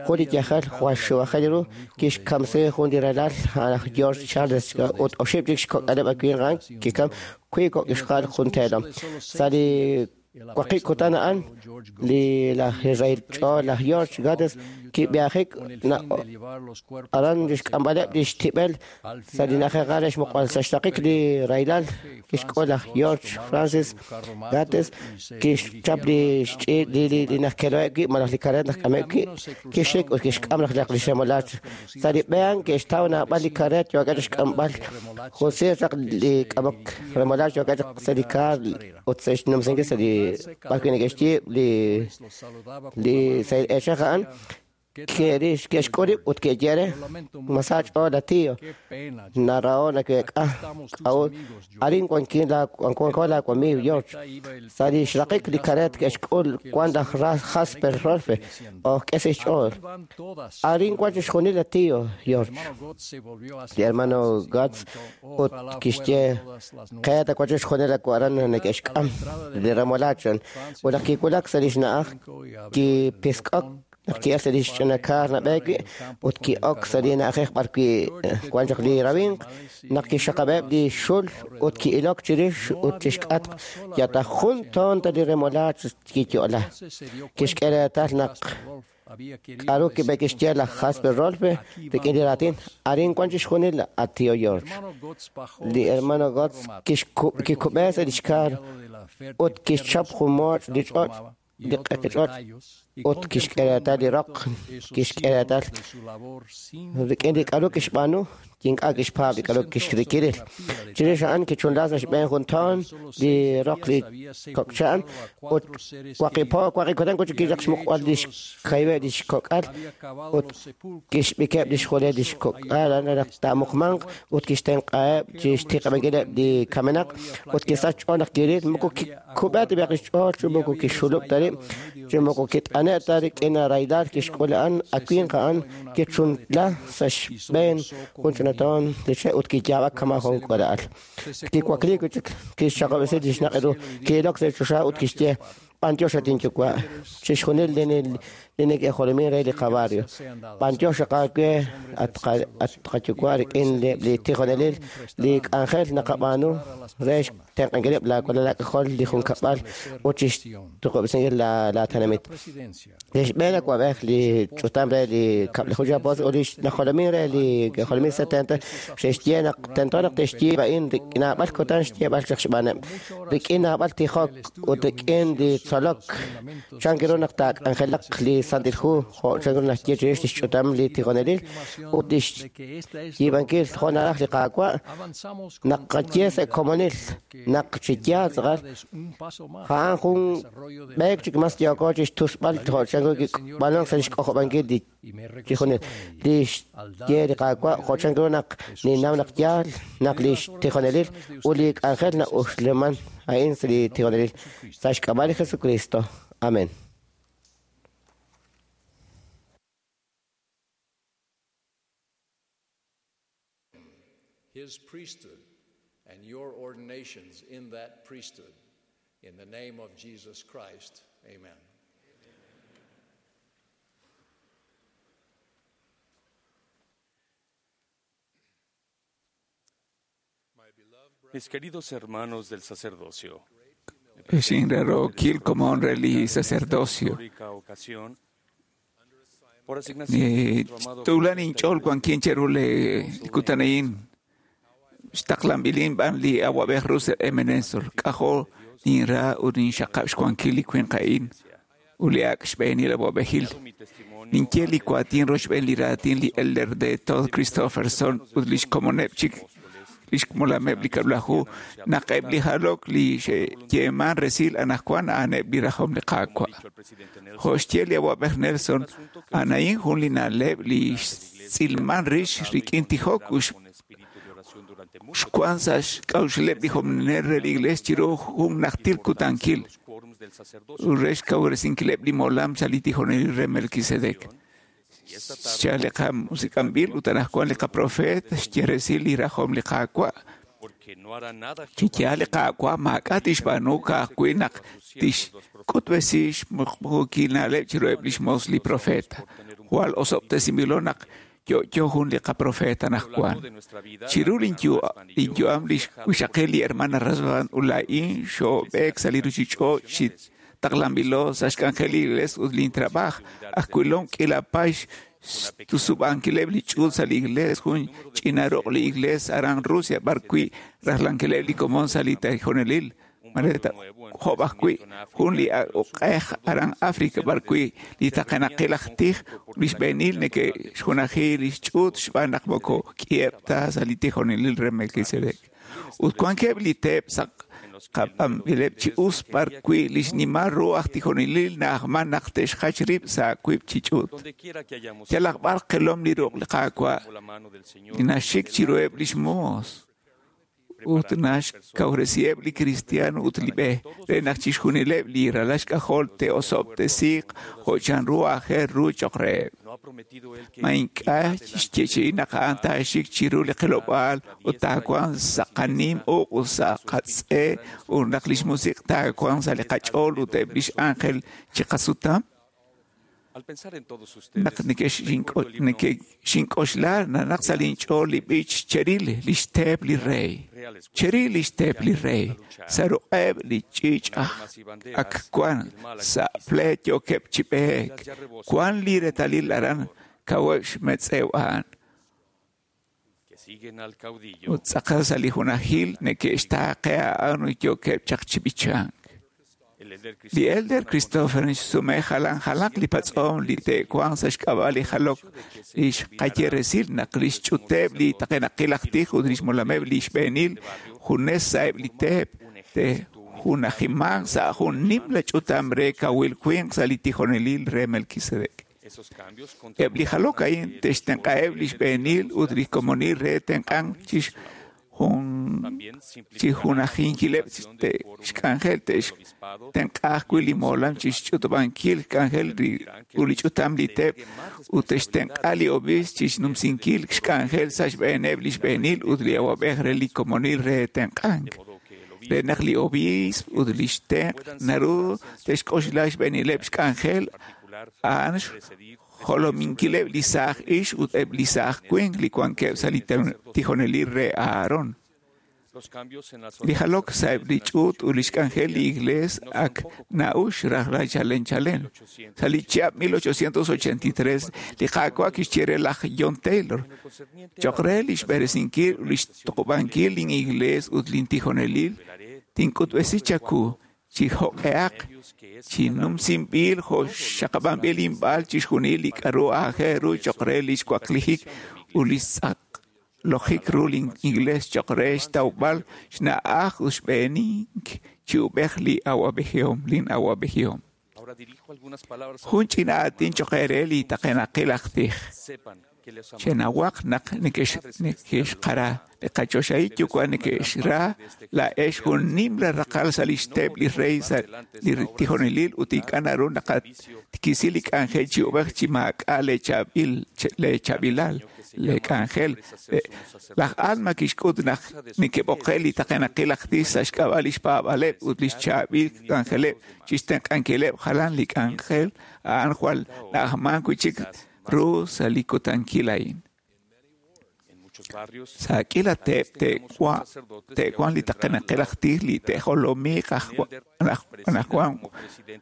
jun li yajel jwal xuwajel ru kixkamsi jun li ralal a'an aj George Charles ut oxib' chik xkok'aleb' winq a'an kikam wiib' kok' ixqa'al jun teelom. Sa' li waqib' kutan a'an, li laj Israel ch'ool laj George Gates kib'ihajik aran xk'amb'aleb' lix tib'el sa' li na'ajej re xmuqb'al sa' xraqik li rahilal kixk'ul laj George Francis Gates kixchap li xch'iich' li najkeloheb' wi' malaj li kareet najk'ameb' wi' kixxik ut kixk'am laj li xemolach. Sa' li b'e a'an ke'xtaw naab'al li kareet yookeb' chixk'amb'al jun siir chaq li k'amok remolach yookeb' chaq sa' li kaar ut sa' xnumsinkil sa' li b'ar wi' neke'xyiib' li sahil eechej a'an ke'xk'ul rib' ut ke'xye re, "Masa ch'ool la tío, naraho' naweek'a k'a'ut arin wanko laawamiiw George." Sa' li xraqik li kareet ke'xk'ul wan laj Jasper Rolfe oj k'e sa' xch'ool. "Arin wan chixjunil la tío George." Li hermano Gates ut kixye, "Qeeta wan chixjunil aran neke'xk'am li remolacha." Ut naq kiwulak sa' li xna'aj kipisk'ok naq ki'el sa' li xch'ina kaar nab'eek wi' ut ki'ok sa' li na'ajej b'ar wi' wan chaq li rawimq, naq kixxaqab'eb' li xul ut ki'ilok chirix ut chixk'atq yal ta jun toon ta li remolach kiyo'la. Kixk'e reetal naq k'aru kixye laj Jasper Rolfe rik'in li raatin, "Arin wan chixjunil a tío George." Li hermano Gates kikub'e sa' lix kaar ut kixchap jun mooch' li ch'och' li q'eqi ch'och' ut kixk'e reetal li roq, kixk'e reetal rik'in li k'aru kixb'aanu, ink'a' kixpaab' li k'aru kixrikiril. Chirix a'an kichunla sa' xb'een jun toon li roq li kok'cha'an ut waqib' kutan kichaq xmuqb'al lix kayb'eb' lix kok'al ut kixb'ikeb' lix julel lix kok'al naq taamuqmanq ut kixtenq'aheb' chixtiqab'ankileb' li kamenaq ut kisach xch'ool naq kiril moko kikub'e ta b'ayaq lix ch'ool chi moko kixxulub' ta rib' chi moko kit'ane' ta rik'in rahilal kixk'ul a'an a winq a'an kichunla sa' xb'een jun ch'ina toon li che' ut kiyaab'ak kama' jun k'uula'al. Kiwakliik wi' chik kixxaqab'esi li xnaq' ru, ki'ilok sa' choxa ut kixye, "B'antiox at inyuwa', chixjunil li neke'jolomin re li qabarrio. B'antiox aawe at qayuwa' rik'in li tijonelil li k'anjel naqab'aanu re xtenq'ankileb' laawalal aak'ajol li junkab'al ut chixtuqub'esinkil laatenamit." Li xb'een awa'b'ej li ch'utam re li kab'laju chi apóstol ut li najolomin re li jolomil 70 xe'xye naq tento naq te'xyiib' a'in rik'in naab'al kutan xyeeb'al chaq xb'aaneb', rik'in naab'al tijok ut rik'in li tzolok chan ru naq taak'anjelaq li Santil Hu jo' chan ru naxye chirix li xch'utam li tijonelil ut li xyiib'ankil jo' naraj li Qaawa' naq qaye sa' komonil naq chi yaal tz'aqal a'an jun b'eek chik mas yooko chi xtusb'al jo' chan ru kib'anok sa' li xk'ojob'ankil li tijonel li xye li Qaawa' jo' chan ru naq ninnaw naq yaal naq li xtijonelil ut li k'anjel na'uxleman a'in sa' li tijonelil sa' xk'ab'a' li Jesucristo. Amén. His priesthood and your ordinations in that priesthood. In the name of Jesus Christ, amen. Mis queridos hermanos del sacerdocio, Xinrarokil komon re li sacerdocio. histórica ocasión, por asignación de nuestro amado Tulan inch'ool wankin cheru le kutanayin xtaqlanb'ilin b'an li awa'b'ej Russell M. Nelson k'ajo ninra ut ninxaqab' xwankil li winq a'in ut li ak' xb'eenil awa'b'ejil. Ninye li waatin roxb'een li raatin li elder de Todd Christofferson ut lix komoneb' chik lix molameb' li kab'laju naq eb' li jalok li xe'yeeman resil anaqwan a'aneb' li rajom li Qaawa'. Jo' xye li awa'b'ej Nelson, a'an a'in jun li na'leb' li xtz'ilman rix rik'in tijok xwan sa' xk'a'uxleb' li jolominel re li Iglees chiru jun najtil kutankil ut re xkawresinkileb' li molam sa' li tijonelil re Melquisedec. Xchal li qamusik'anb'il ut anaqwan li qaprofeet xye resil li rajom li Qaawa'. Chi yaal li Qaawa' maak'a' tixb'aanu ka'ajwi' naq tixk'utb'esi xmuqmuukil na'leb' chiruheb' lix moos li profeta. Jwal osob'tesinb'ilo naq yo'yo jun li qaprofeta anaqwan. Chiru linyu'am lix wixaqil li hermana Rasband ut laa'in xoob'eek sa' li ruchich'och' chi taqlanb'ilo sa' xk'anjel li Iglees ut lintrab'aj. Ajwilom k'iila paay xtusub'ankileb' li ch'uut sa' li Iglees, jun ch'ina ruq' li Iglees aran Rusia b'arwi' rajlankileb' li komon sa' li tijonelil. Mare job ajwi' jun li uq'ej aran África b'arwi' li taqenaqil aj tij li xb'eenil neke'xjunaji li xch'uut xb'aan naq moko k'iheb' ta sa' li tijonelil re Melquisedec. Ut wankeb' li teep sa' qab'anb'ileb' chi us b'arwi' li xnimal ru aj tijonelil na'ajman naq te'xjach rib' sa' wiib' chi ch'uut. Yalaq b'ar qilom li ruq' li Qaawa' li naxik chiruheb' lix moos ut naxkawresiheb' li kristiaan ut li b'e re naq chixjunileb' li ralal xk'ajol te'osob'tesiiq jo' chanru aajel ru cho'q reheb'. Ma ink'a' xyeechi'i naq a'an taaxik chiru li qilob'aal ut taawanq sa' qanim uq' ut sa' qatz'e ut naq lix musiq' taawanq sa' li qach'ool ut eb' lix ángel chiqasutam? Naq nekexink'oxla nanaq sa' linch'ool li b'ich cheril lix teep li rey. Cheril lix teep li rey. Sa' ruq'eb' li ch'iich' ak wan sa' pleet yookeb' chi b'eek. Wan li reetalil aran kaweb' xmetz'ew a'an. Ut tz'aqal sa' li junajil neke'xtaaqe a'an ut yookeb' chaq chi b'ichank. Li Elder Christopher xsume jalan jalaq li patz'om li te'wanq sa' xk'ab'a' li jalok li xqaye resil naq li xch'uteb' li taqenaqil aj tij ut lix molameb' li xb'eenil junes sa'eb' li teep te'junajimanq sa' jun nimla ch'utam re kawil winq sa' li tijonelil re Melquisedec. Eb' li jalok a'in te'xtenq'aheb' li xb'eenil ut li komonil re tenq'ank chi junajinkileb' xk'anjel te'xtenq'a ajwi' li molam chi xch'utub'ankil xk'anjel ut li ch'utam li teep ut te'xtenq'a li obiisp chi xnumsinkil xk'anjel sa' xb'eeneb' li xb'eenil ut li awab'ej re li komonil re tenq'ank. Re naq li obiisp ut li xtenq' naru te'xk'oxla xb'eenileb' xk'anjel a'an jolominkileb' li saaj ix ut eb' li saaj winq li wankeb' sa' li tijonelil re Aarón. Li jalok sa'eb' li ch'uut ut li xk'anjel li Iglees ak na'ux rajlal chalen chalen. Sa' li chihab' 1883 li Qaawa' kixye re laj John Taylor cho'q re li xb'eresinkil ut li xtuqub'ankil lin Iglees ut lin tijonelil tink'utb'esi chaku chi jo'q'ehaq chi numsinb'il jo' xaqab'anb'il inb'al chixjunil li k'a'ru aajel ru cho'q re li xwaklijik ut li xtz'aqlojik ru lin Iglees cho'q re xtawb'al xna'aj ut xb'eenink chi ub'ej li awab'ejihom lin awab'ejihom. Jun ch'ina aatin cho'q eere li taqenaqil aj tij. Chenawaq naq neke'xqara li qachoxahil yuwa' neke'xra laa'ex jun nimla raqal sa' lix teep li rey sa' li tijonelil ut ink'a' naru naqatikisi li k'anjel chi ub'ej chi maak'a' leechaab'ilal leek'anjel. Laj Alma kixk'ut naq neke'b'oqe' li taqenaqil aj tij sa' xk'ab'a' lix paab'aaleb' ut lix chaab'il k'anjeleb' chixtenq'ankileb' jalan li k'anjel a'an jwal na'ajman wi'chik ru sa' li kutankil a'in. Sa' k'iila teep te'wan li taqenaqil aj tij li te'jolomiiq anaqwan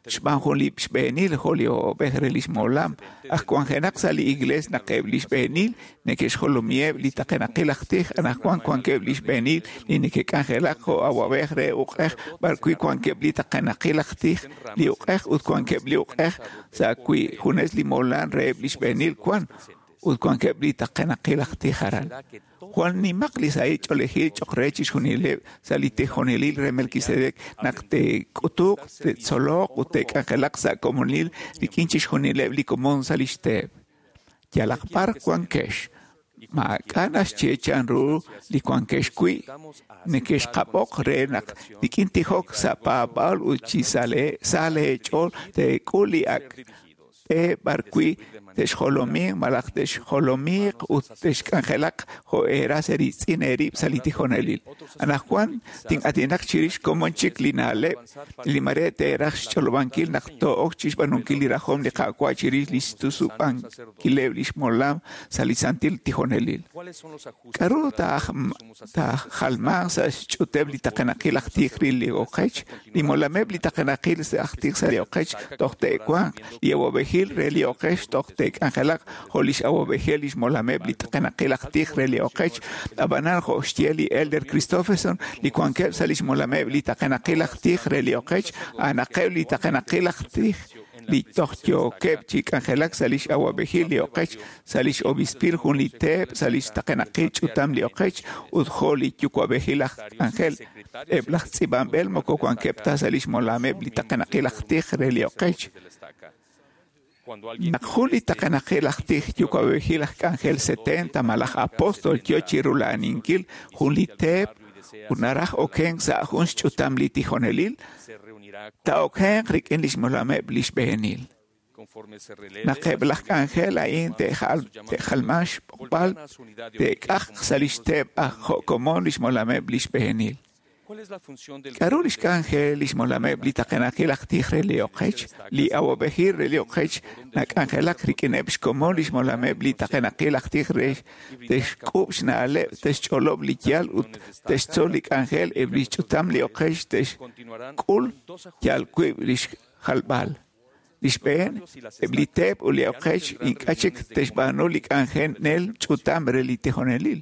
xb'aan jun li xb'eenil jo' li awab'ej re lix molam aj wanjenaq sa' li Iglees naq eb' li xb'eenil neke'xjolomiheb' li taqenaqil aj tij anaqwan wankeb' li xb'eenil li neke'k'anjelak jo' awab'ej re uq'ej b'arwi' wankeb' li taqenaqil aj tij li uq'ej ut wankeb' li uq'ej sa' wi' junes li molam reheb' li xb'eenil wan ut wankeb' li taqenaqil aj tij aran. Jwal nimaq li sahil ch'oolejil cho'q re chixjunileb' sa' li tijonelil re Melquisedec naq te'k'utuq, te'tzoloq ut te'k'anjelaq sa' komonil rik'in chixjunileb' li komon sa' lix teep. Yalaq b'ar wankex. Maak'a' naxye chanru li wankex wi' nekexqab'oq re naq rik'in tijok sa' paab'aal ut chi sa' leech'ool teek'ul li ak' b'e b'ar wi' texjolominq malaj texjolomiiq ut texk'anjelaq jo' eeras eeriitz'in eerib' sa' li tijonelil. Anaqwan tin'aatinaq chirix komon chik li na'leb' li mare teeraj xch'olob'ankil naq too'ok chixb'aanunkil li rajom li Qaawa' chirix li xtusub'ankileb' lix molam sa' li santil tijonelil. K'aru taajalmanq sa' xch'uteb' li taqenaqil aj tij re li oqech? Li molameb' li taqenaqil aj tij sa' li oqech toj te'wanq, li awa'b'ejil re li oqech toj te'k'anjelaq jo' lix awa'b'ejil lix molameb' li taqenaqil aj tij re li oqech. Ab'anan jo' xye li Elder Christofferson, li wankeb' sa' lix molameb' li taqenaqil aj tij re li oqech, a'anaqeb' li taqenaqil aj tij li toj yookeb' chi k'anjelak sa' lix awa'b'ejil li oqech, sa' lix obispil jun li teep, sa' lix taqenaqil ch'utam li oqech ut jo' li yuwa'b'ejil aj k'anjel. Eb' laj tz'iib'anb'el moko wankeb' ta sa' lix molameb' li taqenaqil aj tij re li oqech. Naq jun li taqenaqil aj tij yuwa'b'ejil aj k'anjel 70 malaj apóstol yo chi rula'aninkil jun li teep ut naraj okenk sa' jun xch'utam li tijonelil, taa'okenq rik'in lix molameb' li xb'eenil. Naq eb' laj k'anjel a'in te'jalmanq xb'oqb'al, te'k'ajq sa' lix teep aj jo' komon lix molameb' li xb'eenil. K'aru lix k'anjel lix molameb' li taqenaqil aj tij re li oqech? Li awa'b'ejil re li oqech nak'anjelaq rik'ineb' xkomon lix molameb' li taqenaqil aj tij re texk'ub' xna'leb', texch'olob' li yaal ut textzol li k'anjel eb' li xch'utam li oqech texk'ul yal wiib' lix jalb'al. Li xb'een, eb' li teep ut li oqech ink'a' chik texb'aanu li k'anjenel ch'utam re li tijonelil.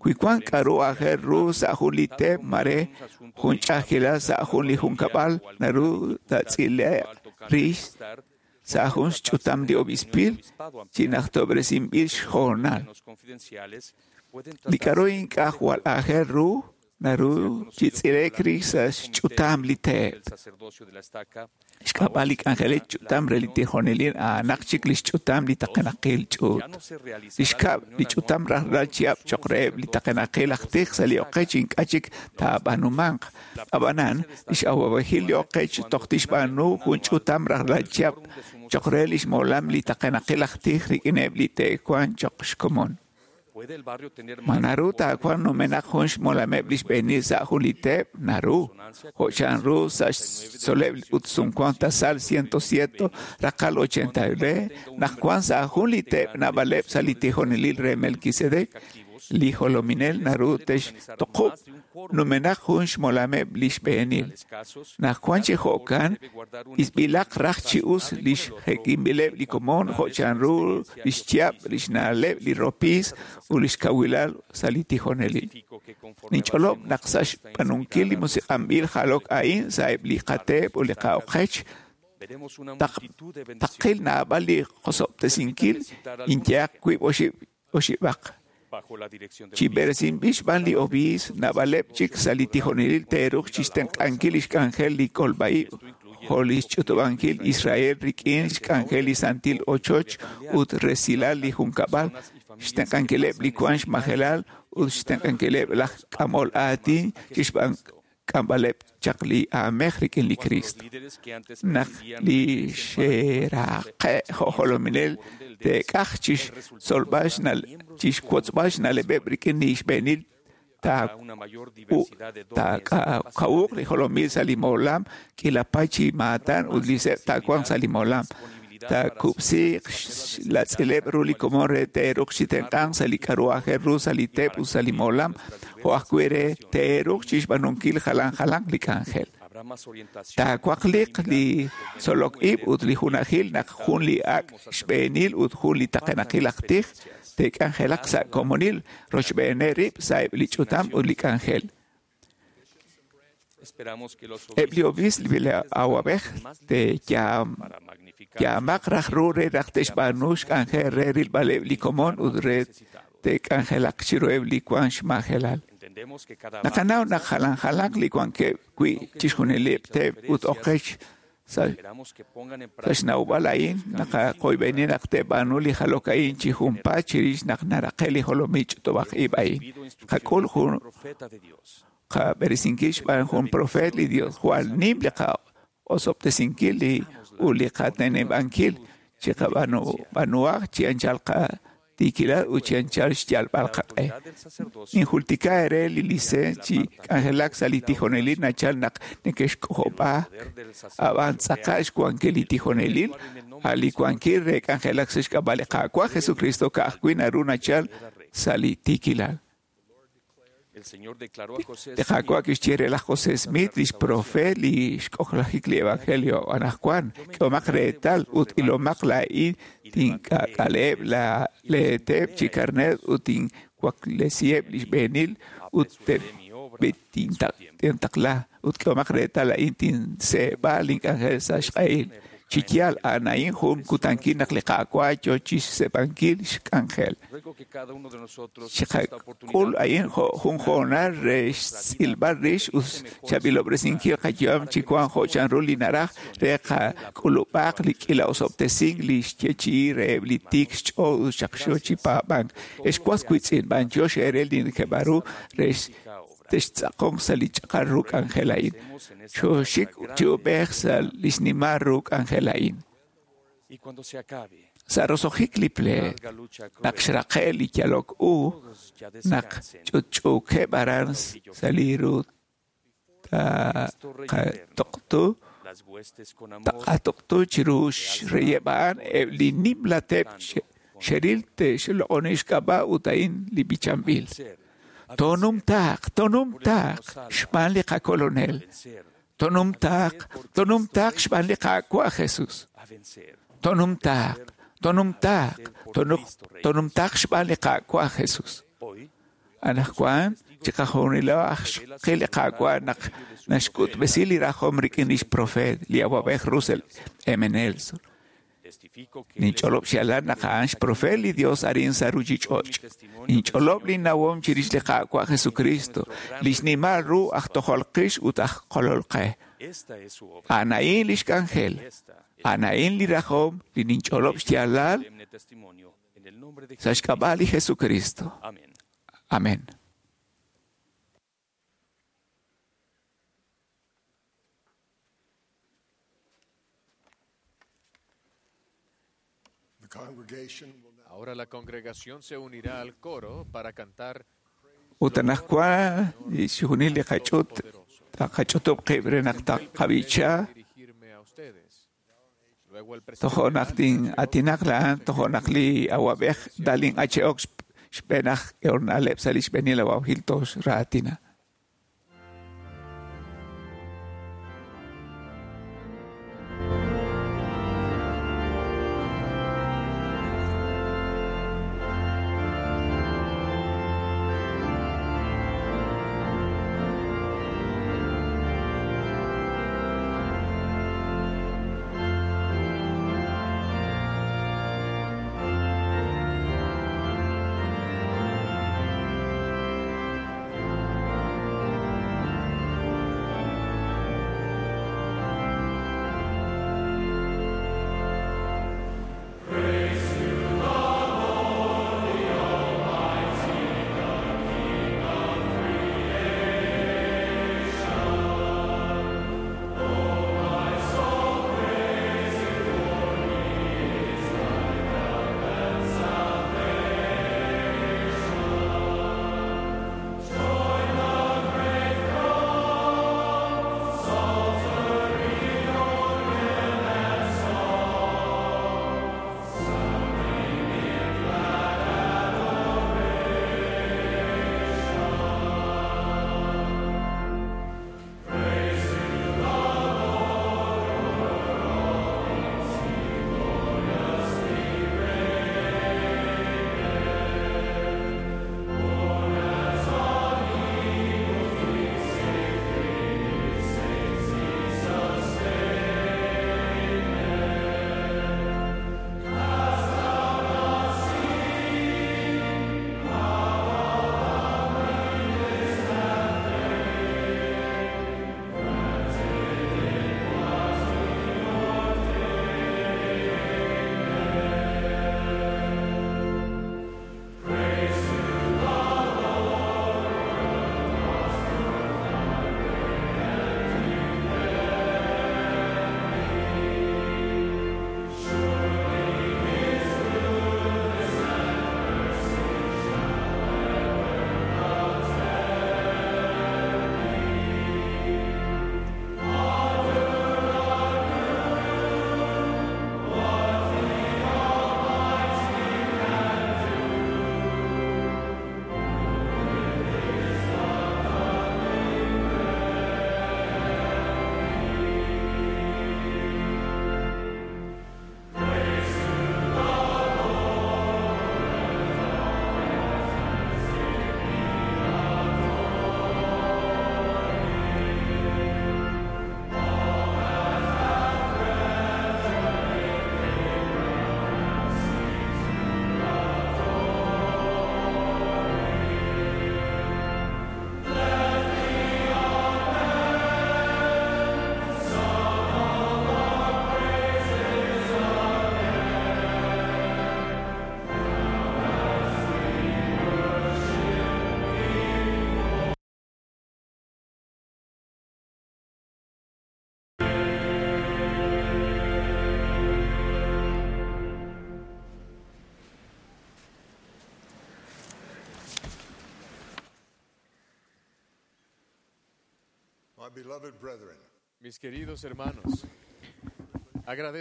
Wi wank k'aru aajel ru sa' jun li teep mare jun ch'a'ajkilal sa' jun li junkab'al naru taatz'ile'q rix sa' jun xch'utam li obispil chi najtob'resinb'il xhoonal. Li k'aru ink'a' jwal aajel ru naru chi tz'ile'k rix sa' xch'utam li teep. Xk'ab'a' li k'anjelil ch'utam re li tijonelil a'anaq chik li xch'utam li taqenaqil ch'uut. Li xkab' li ch'utam rajlal chihab' cho'q reheb' li taqenaqil aj tij sa' li oqech ink'a' chik taab'aanumanq. Ab'anan, lix awa'b'ejil li oqech toj tixb'aanu jun ch'utam rajlal chihab' cho'q re lix molam li taqenaqil aj tij rik'ineb' li te'wanq cho'q xkomon. Ma naru taawanq numenaq jun xmolameb' li xb'eenil sa' jun li teep? Naru. Jo' chanru sa' xtzoleb' ut sumwank tasal 107 raqal 89, naq wank sa' jun li teep naab'aleb' sa' li tijonelil re Melquisedec, li jolominel naru textoqub' numenaq jun xmolameb' li xb'eenil. Naq wank chi jo'kan, isb'ilaq raj chi us li xjekinb'ileb' li komon jo' chanru li xchihab', li xna'leb', li ropiis ut li xkawilal sa' li tijonelil. Ninch'olob' naq sa' xb'aanunkil li musiq'anb'il jalok a'in sa' eb' li qateep ut li qa'oqech, taqil naab'al li qosob'tesinkil inyehaq wiib' oxib'aq. Chi b'eresinb'il xb'aan li obiisp, naab'aleb' chik sa' li tijonelil te'ruuq chixtenq'ankil lix k'anjel li kolb'a-ib' jo' li xch'utub'ankil Israel rik'in xk'anjel li santil ochoch ut resilal li junkab'al, xtenq'ankileb' li wank xmajelal ut xtenq'ankileb' laj k'amol aatin chixk'amb'aleb' chaq li aamej rik'in li Cristo. Naq li xe'raqe' jo' jolominel te'k'aj chixtzolb'al chixwotzb'al xna'leb'eb' rik'in li xb'eenil taakawuq li jolomil sa' li molam k'iila paay chi maatan ut li seb' taawanq sa' li molam. Taakub'siiq xlatz'ileb' ru li komon re te'ruuq chi tenq'anq sa' li k'aru aajel ru sa' li teep ut sa' li molam, jo' ajwi' re te'ruuq chixb'aanunkil jalan jalanq li k'anjel. Taawaqliq li tzolok ib' ut li junajil naq jun li ak' xb'eenil ut jun li taqenaqil aj tij te'k'anjelaq sa' komonil rochb'eeneb' rib' sa' eb' li ch'utam ut li k'anjel. Eb' li obiisp li awa'b'ej te'yaamaq raj ru re naq te'xb'aanu xk'anjel re rilb'aleb' li komon ut re te'k'anjelaq chiruheb' li wank xmajelal. Naqanaw naq jalan jalanq li wankeb' wi' chixjunileb' teep ut oqech. Sa' xnawb'al a'in naqaqoyb'eni naq te'b'aanu li jalok a'in chi junpaat chirix naq naraqe' li jolomil ch'utub'aj ib' a'in. Qak'ul jun qab'eresinkil xb'aan jun profeet li Dios jwal nim li qa'osob'tesinkil ut li qateneb'ankil chi qab'aanuhaq chi anchal qatiikilal ut chi anchal xyalb'al qaq'e. Ninjultika eere li licencia chi k'anjelak sa' li tijonelil nachal naq neke'xk'ojob'aak ab'an tz'aqal xwankil li tijonelil a' li wankil re k'anjelak sa' xk'ab'a' li Qaawa' Jesucristo ka'ajwi' naru nachal sa' li tiikilal. Li Qaawa' kixye re laj José Smith, lix profeet li xk'ojlajik li Evangelio anaqwan, k'ehomaq reetal ut ilomaq laa'in tink'ak'aleheb' leeteep chi karneer ut tinwaklesiheb' li xb'eenil ut tintaqla ut k'ehomaq reetal laa'in tinseeb'a link'anjel sa' xq'ehil. Chi yaal a'an a'in jun kutankil naq li Qaawa' yoo chixseeb'ankil xk'anjel. Chiqak'ul a'in jun hoonal re xtz'ilb'al rix ut xchaab'ilob'resinkil qayu'am chi wank jo' chanru li naraj re qak'ulub'aq li k'iila osob'tesink li xyeechi'i reheb' li tiik xch'ool ut xaqxo chi paab'ank. Ex was wiitz'in, b'antiox eere li nekeb'aru re textz'aqonq sa' li ch'aqal ru k'anjel a'in. Xooxik chi ub'ej sa' li xnimal ru k'anjel a'in. Sa' roso'jik li pleet, naq xraqe' li yalok u, naq ch'utch'uukeb' aran sa' li ru taqatuqtu chiru xreyeb' a'an eb' li nimla teep xeril te'xloq'oni xk'ab'a' ut a'in li b'ichanb'il. Tonumtaaq, tonumtaaq xb'aan li qakolonel. Tonumtaaq, tonumtaaq xb'aan li Qaawa' Jesus. Tonumtaaq, tonumtaaq, tonumtaaq xb'aan li Qaawa' Jesus. Anaqwan chiqajunilo aj xqil li Qaawa' naq naxk'utb'esi li rajom rik'in lix profeet li awab'ej Russell M. Nelson. Ninch'olob' xyaalal naq a'an xprofeet li Dios arin sa' ruchich'och'. Ninch'olob' li nawom chirix li Qaawa' Jesucristo, li xnimal ru aj tojol qix ut aj kolol qe. A'an a'in lix k'anjel, a'an a'in li rajom li ninch'olob' xyaalal sa' xk'ab'a' li Jesucristo. Amén. Ahora la congregación se unirá al coro para cantar Ut anaqwan xjunil li qach'ut taqach'utub' qib' re naq taqab'icha tojo'naq tin'atinaq la'an tojo'naq li awab'ej Dalin H. Oaks xb'een aj k'ehonaleb' sa' li xb'eenil awab'ejil toxraatina.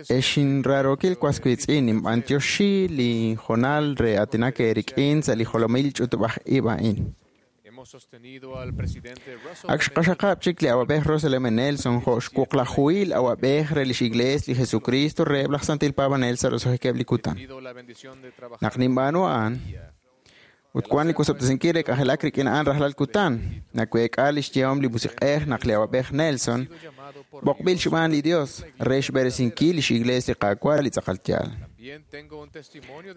Ex inraarokil was wiitz'in, ninb'antioxi li hoonal re aatinak eerik'in sa' li jolomil ch'utub'aj-ib' a'in. Ak xqaxaqab' chik li awab'ej Russell M. Nelson jo' xwuqlajuhil awab'ej re lix Iglees li Jesukristo reheb' laj Santil Paab'anel sa' roso'jikeb' li kutan. Naq ninb'aanu a'an, ut wan li wosob'tesinkil re k'anjelak rik'in a'an rajlal kutan, naweek'a lix yehom li Musiq'ej naq li awab'ej Nelson b'oqb'il xb'aan li Dios re xb'eresinkil lix Iglees li Qaawa' li tz'aqal yaal.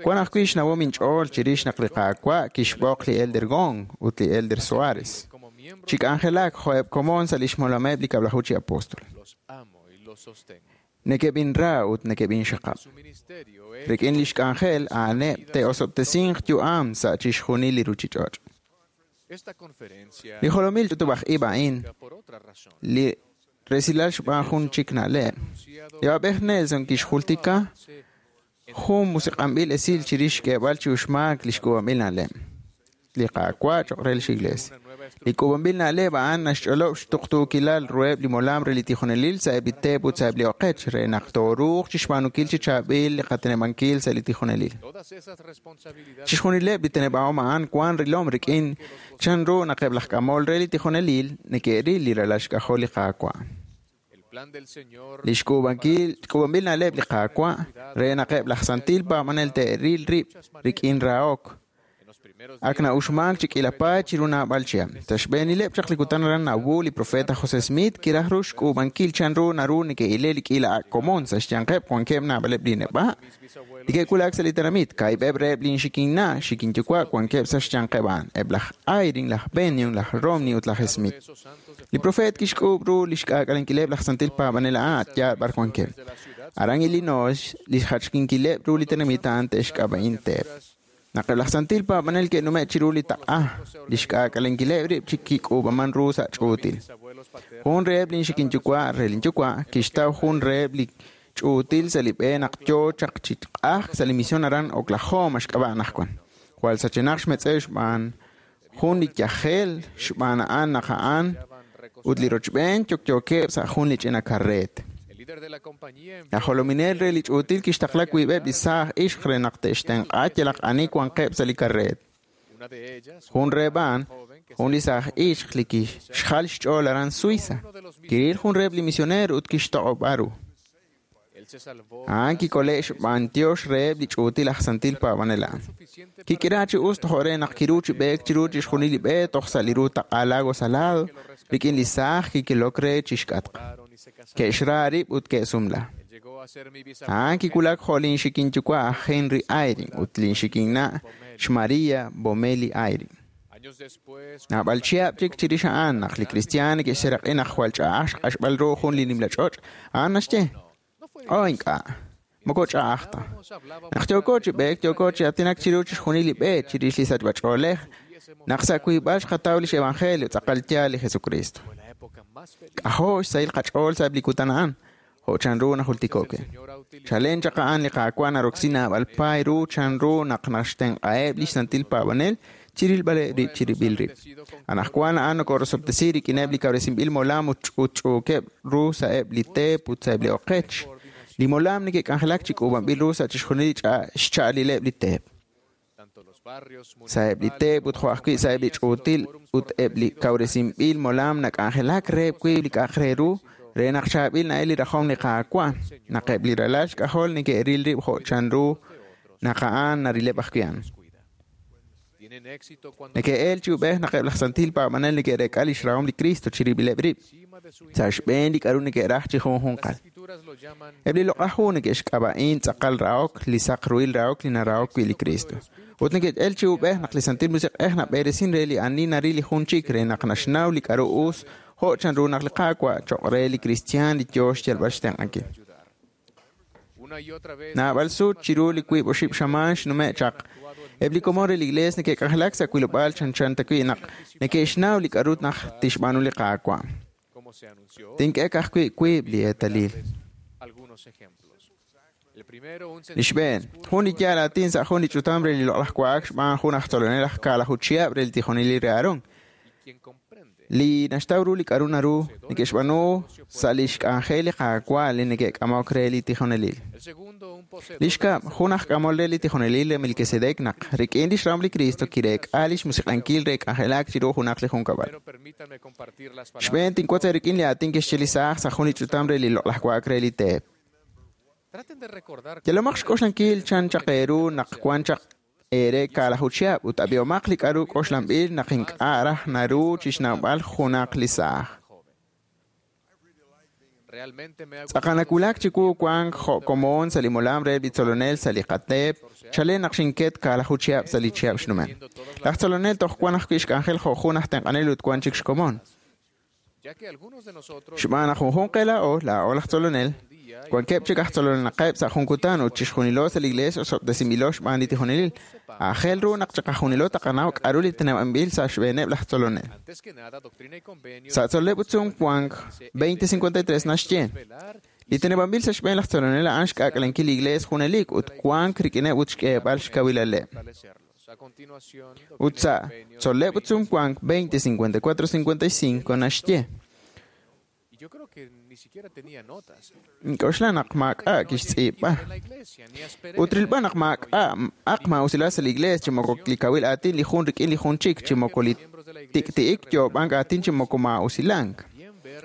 Wan ajwi' xnawom inch'ool chirix naq li Qaawa' kixb'oq li Elder Gong ut li Elder Soares chi k'anjelak jo'eb' komon sa' lix molameb' li Kab'laju chi Apostol. Nekeb'inra ut nekeb'inxaqab'. Rik'in lix k'anjel a'aneb' te'osob'tesinq yu'am sa' chixjunil li ruchich'och'. Li jolomil ch'utub'aj-ib' a'in, li resilal xb'aan jun chik na'leb'. Li awab'ej Nelson kixjultika jun musiq'anb'il esil chirix xk'eeb'al chi uxmaak li xk'uub'anb'il na'leb'. Li Qaawa' cho'q re lix Iglees. Li k'uub'anb'il na'leb' a'an naxch'olob' xtuqtuukilal ruheb' li molam re li tijonelil sa'eb' li teep ut sa'eb' li oqech re naq tooruuq chixb'aanunkil chi chaab'il li qateneb'ankil sa' li tijonelil. Chixjunileb' li teneb'ahom a'an wan rilom rik'in chanru naq eb' laj k'amol re li tijonelil neke'ril li ralal xk'ajol li Qaawa'. Li xk'uub'anb'il na'leb' li Qaawa' re naq eb' laj santil paab'anel te'ril rib' rik'in rahok ak na'uxmaak chi k'iila paay chiru naab'al chihab'. Sa' xb'eenileb' chaq li kutan aran Nauvoo, li profeet aj José Smith kiraj ru xk'uub'ankil chanru naru neke'ile li k'iila ak' komon sa' xyanqeb' wankeb' naab'aleb' li neb'a' li ke'wulak sa' li tenamit. Kaahib'eb' reheb' lin xikinna' xikinyuwa' wankeb' sa' xyanqeb' a'an, eb' laj Eyring, laj Bennion, laj Romney ut laj Smith. Li profeet kixk'uub' ru li xk'aak'alenkileb' laj santil paab'anel a'an a' yaal b'ar wankeb'. Aran Illinois, li xjachkinkileb' ru li tenamit a'an te'xk'ab'a'in teep. Naq eb' laj santil paab'anel ke'nume' chiru li taq'a, li xk'aak'alenkileb' rib' chi kik'uub'aman ru sa' ch'uutil. Jun reheb' lin xikinyuwa' re lin yuwa' kixtaw jun reheb' li ch'uutil sa' li b'e naq yoo chaq chi q'ajk sa' li mision aran Oklahoma xk'ab'a' anaqwan. Jwal sachenaq xmetz'ew xb'aan jun li yajel xb'aan a'an naq a'an ut li rochb'een yokyookeb' sa' jun li ch'ina karreet. Laj jolominel re li ch'uutil kixtaqla wiib'eb' li saaj ixq re naq te'xtenq'a yalaq ani wanqeb' sa' li karreet. Jun reheb' a'an, jun li saaj ixq li kixjal xch'ool aran Suiza, kiril jun reheb' li misioneer ut kixtoq'ob'a ru. A'an kikole' xb'aan tiox reheb' li ch'uutil aj santil paab'anel a'an. Kik'ira chi us tojo' re naq kiru chi b'eek chiru chixjunil li b'e toj sa' li ru taq'a Lago Salado rik'in li saaj kikilok re chixk'atq. Ke'xra rib' ut ke'sumla. A'an kiwulak jo' lin xikinyuwa' aj Henry Eyring ut lin xikinna' xMaria Bomeli Eyring. Naab'al chihab' chik chirix a'an naq li kristiaan neke'xseraq'i naq jwal ch'a'aj xq'axb'al ru jun li nimla ch'och', a'an naxye, Oh, ink'a', moko ch'a'aj ta. Naq yooko chi b'eek, yooko chi aatinak chiru chixjunil li b'e chirix li sachb'ach'oolej, naq sa' wiib'al xqataw lix evangelio tz'aqal yaal li Jesucristo. K'ajo' xsahil qach'ool sa'eb' li kutan a'an, jo' chanru najultiko'ke. Chalen chaq a'an li Qaawa' naroksi naab'al paay ru chanru naq naxtenq'aheb' lix santil paab'anel chirilb'aleb' rib' chirib'il rib'. Anaqwan a'an nokorosob'tesi rik'ineb' li kawresinb'il molam ut ch'utch'uukeb' ru sa'eb' li teep ut sa'eb' li oqech. Li molam neke'k'anjelak chi k'uub'anb'il ru sa' chixjunil li xcha'alileb' li teep. Sa'eb' li teep ut jo' ajwi' sa'eb' li ch'uutil ut eb' li kawresinb'il molam nak'anjelak reheb' wiib' li k'a'aq re ru re naq chaab'il na'el li rajom li Qaawa', naq eb' li ralal xk'ajol neke'ril rib' jo' chanru naq a'an narileb' ajwi' a'an. Neke'el chi ub'ej naq eb' laj santil paab'anel neke'reek'a lix rahom li Cristo chirib'ileb' rib', sa' xb'een li k'a'ru neke'raj chi junjunqal. Eb' li loq'aj hu neke'xk'ab'a'in tz'aqal rahok, li saq ruhil rahok li narahok wi' li Cristo. Ut neke'el chi ub'ej naq li Santil Musiq'ej nab'eresin re li ani naril li jun chik re naq naxnaw li k'a'ru us jo' chanru naq li Qaawa' choq' re li kristiaan li yoo xyalb'al xtenq'ankil. Naab'al sut chiru li wiib' oxib' xamaan xnume' chaq, eb' li komon re li Iglees neke'k'anjelak sa' wilob'aal chanchan ta wi' naq neke'xnaw li k'a'ru naq tixb'aanu li Qaawa'. Tink'e ka'ajwi' wiib' li eetalil. Li xb'een, jun li yaal aatin sa' jun li ch'utam re li loq'laj wa'ak xb'aan jun aj tzolonel aj kaalaju chihab' re li tijonelil re Aarón. Li naxtaw ru li k'aru naru neke'xb'aanu sa' lix k'anjel li Qaawa' li neke'k'amok re li tijonelil. Li xkab', jun aj k'amol re li tijonelil re Melquisedec naq rik'in lix rahom li Cristo kireek'a lix musiq'ankil re k'anjelak chiru junaq li junkab'al. Xb'een tinwotz eerik'in li aatin kixye li saaj sa' jun li ch'utam re li loq'laj wa'ak re li teep. Yalomaq xk'oxlankil chan chaq eeru naq wan chaq eere kaalaju chihab' ut ab'ihomaq li k'aru k'oxlanb'il naq ink'a' raj naru chixnawb'al junaq li saaj. Tz'aqal nawulak chiwu wank jo' komon sa' li molam re li tzolonel sa' li qateep, chalen naq xinket kaalaju chihab' sa' li chihab' xnumen. Laj tzolonel toj wan ajwi' xk'anjel jo' jun aj tenq'anel ut wan chik xkomon. Xb'aan naq junjunq qe laa'o, laa'o laj tzolonel, wankeb' chik aj tzolonaqeb' sa' jun kutan ut chixjunilo sa' li iglees osob'tesinb'ilo xb'aan li tijonelil. Aajel ru naq chiqajunilo taqanaw k'aru li teneb'anb'il sa' xb'eeneb' laj tzolonel. Sa' tzol'leb' ut sumwank 2053 naxye, li teneb'anb'il sa' xb'een laj tzolonel a'an xk'aak'alenkil li iglees junelik ut wank rik'ineb' ut xk'eeb'al xkawilaleb'. Ut sa' tzol'leb' ut sumwank 2054-55 naxye, Ink'oxla naq maak'a' kixtz'iib'a. Ut rilb'al naq maak'a' aq maa'usilal sa' li iglees chi moko li kawil aatin li jun rik'in li jun chik, chi moko li tik'ti'ik yoob'ank aatin chi moko maa'usilank.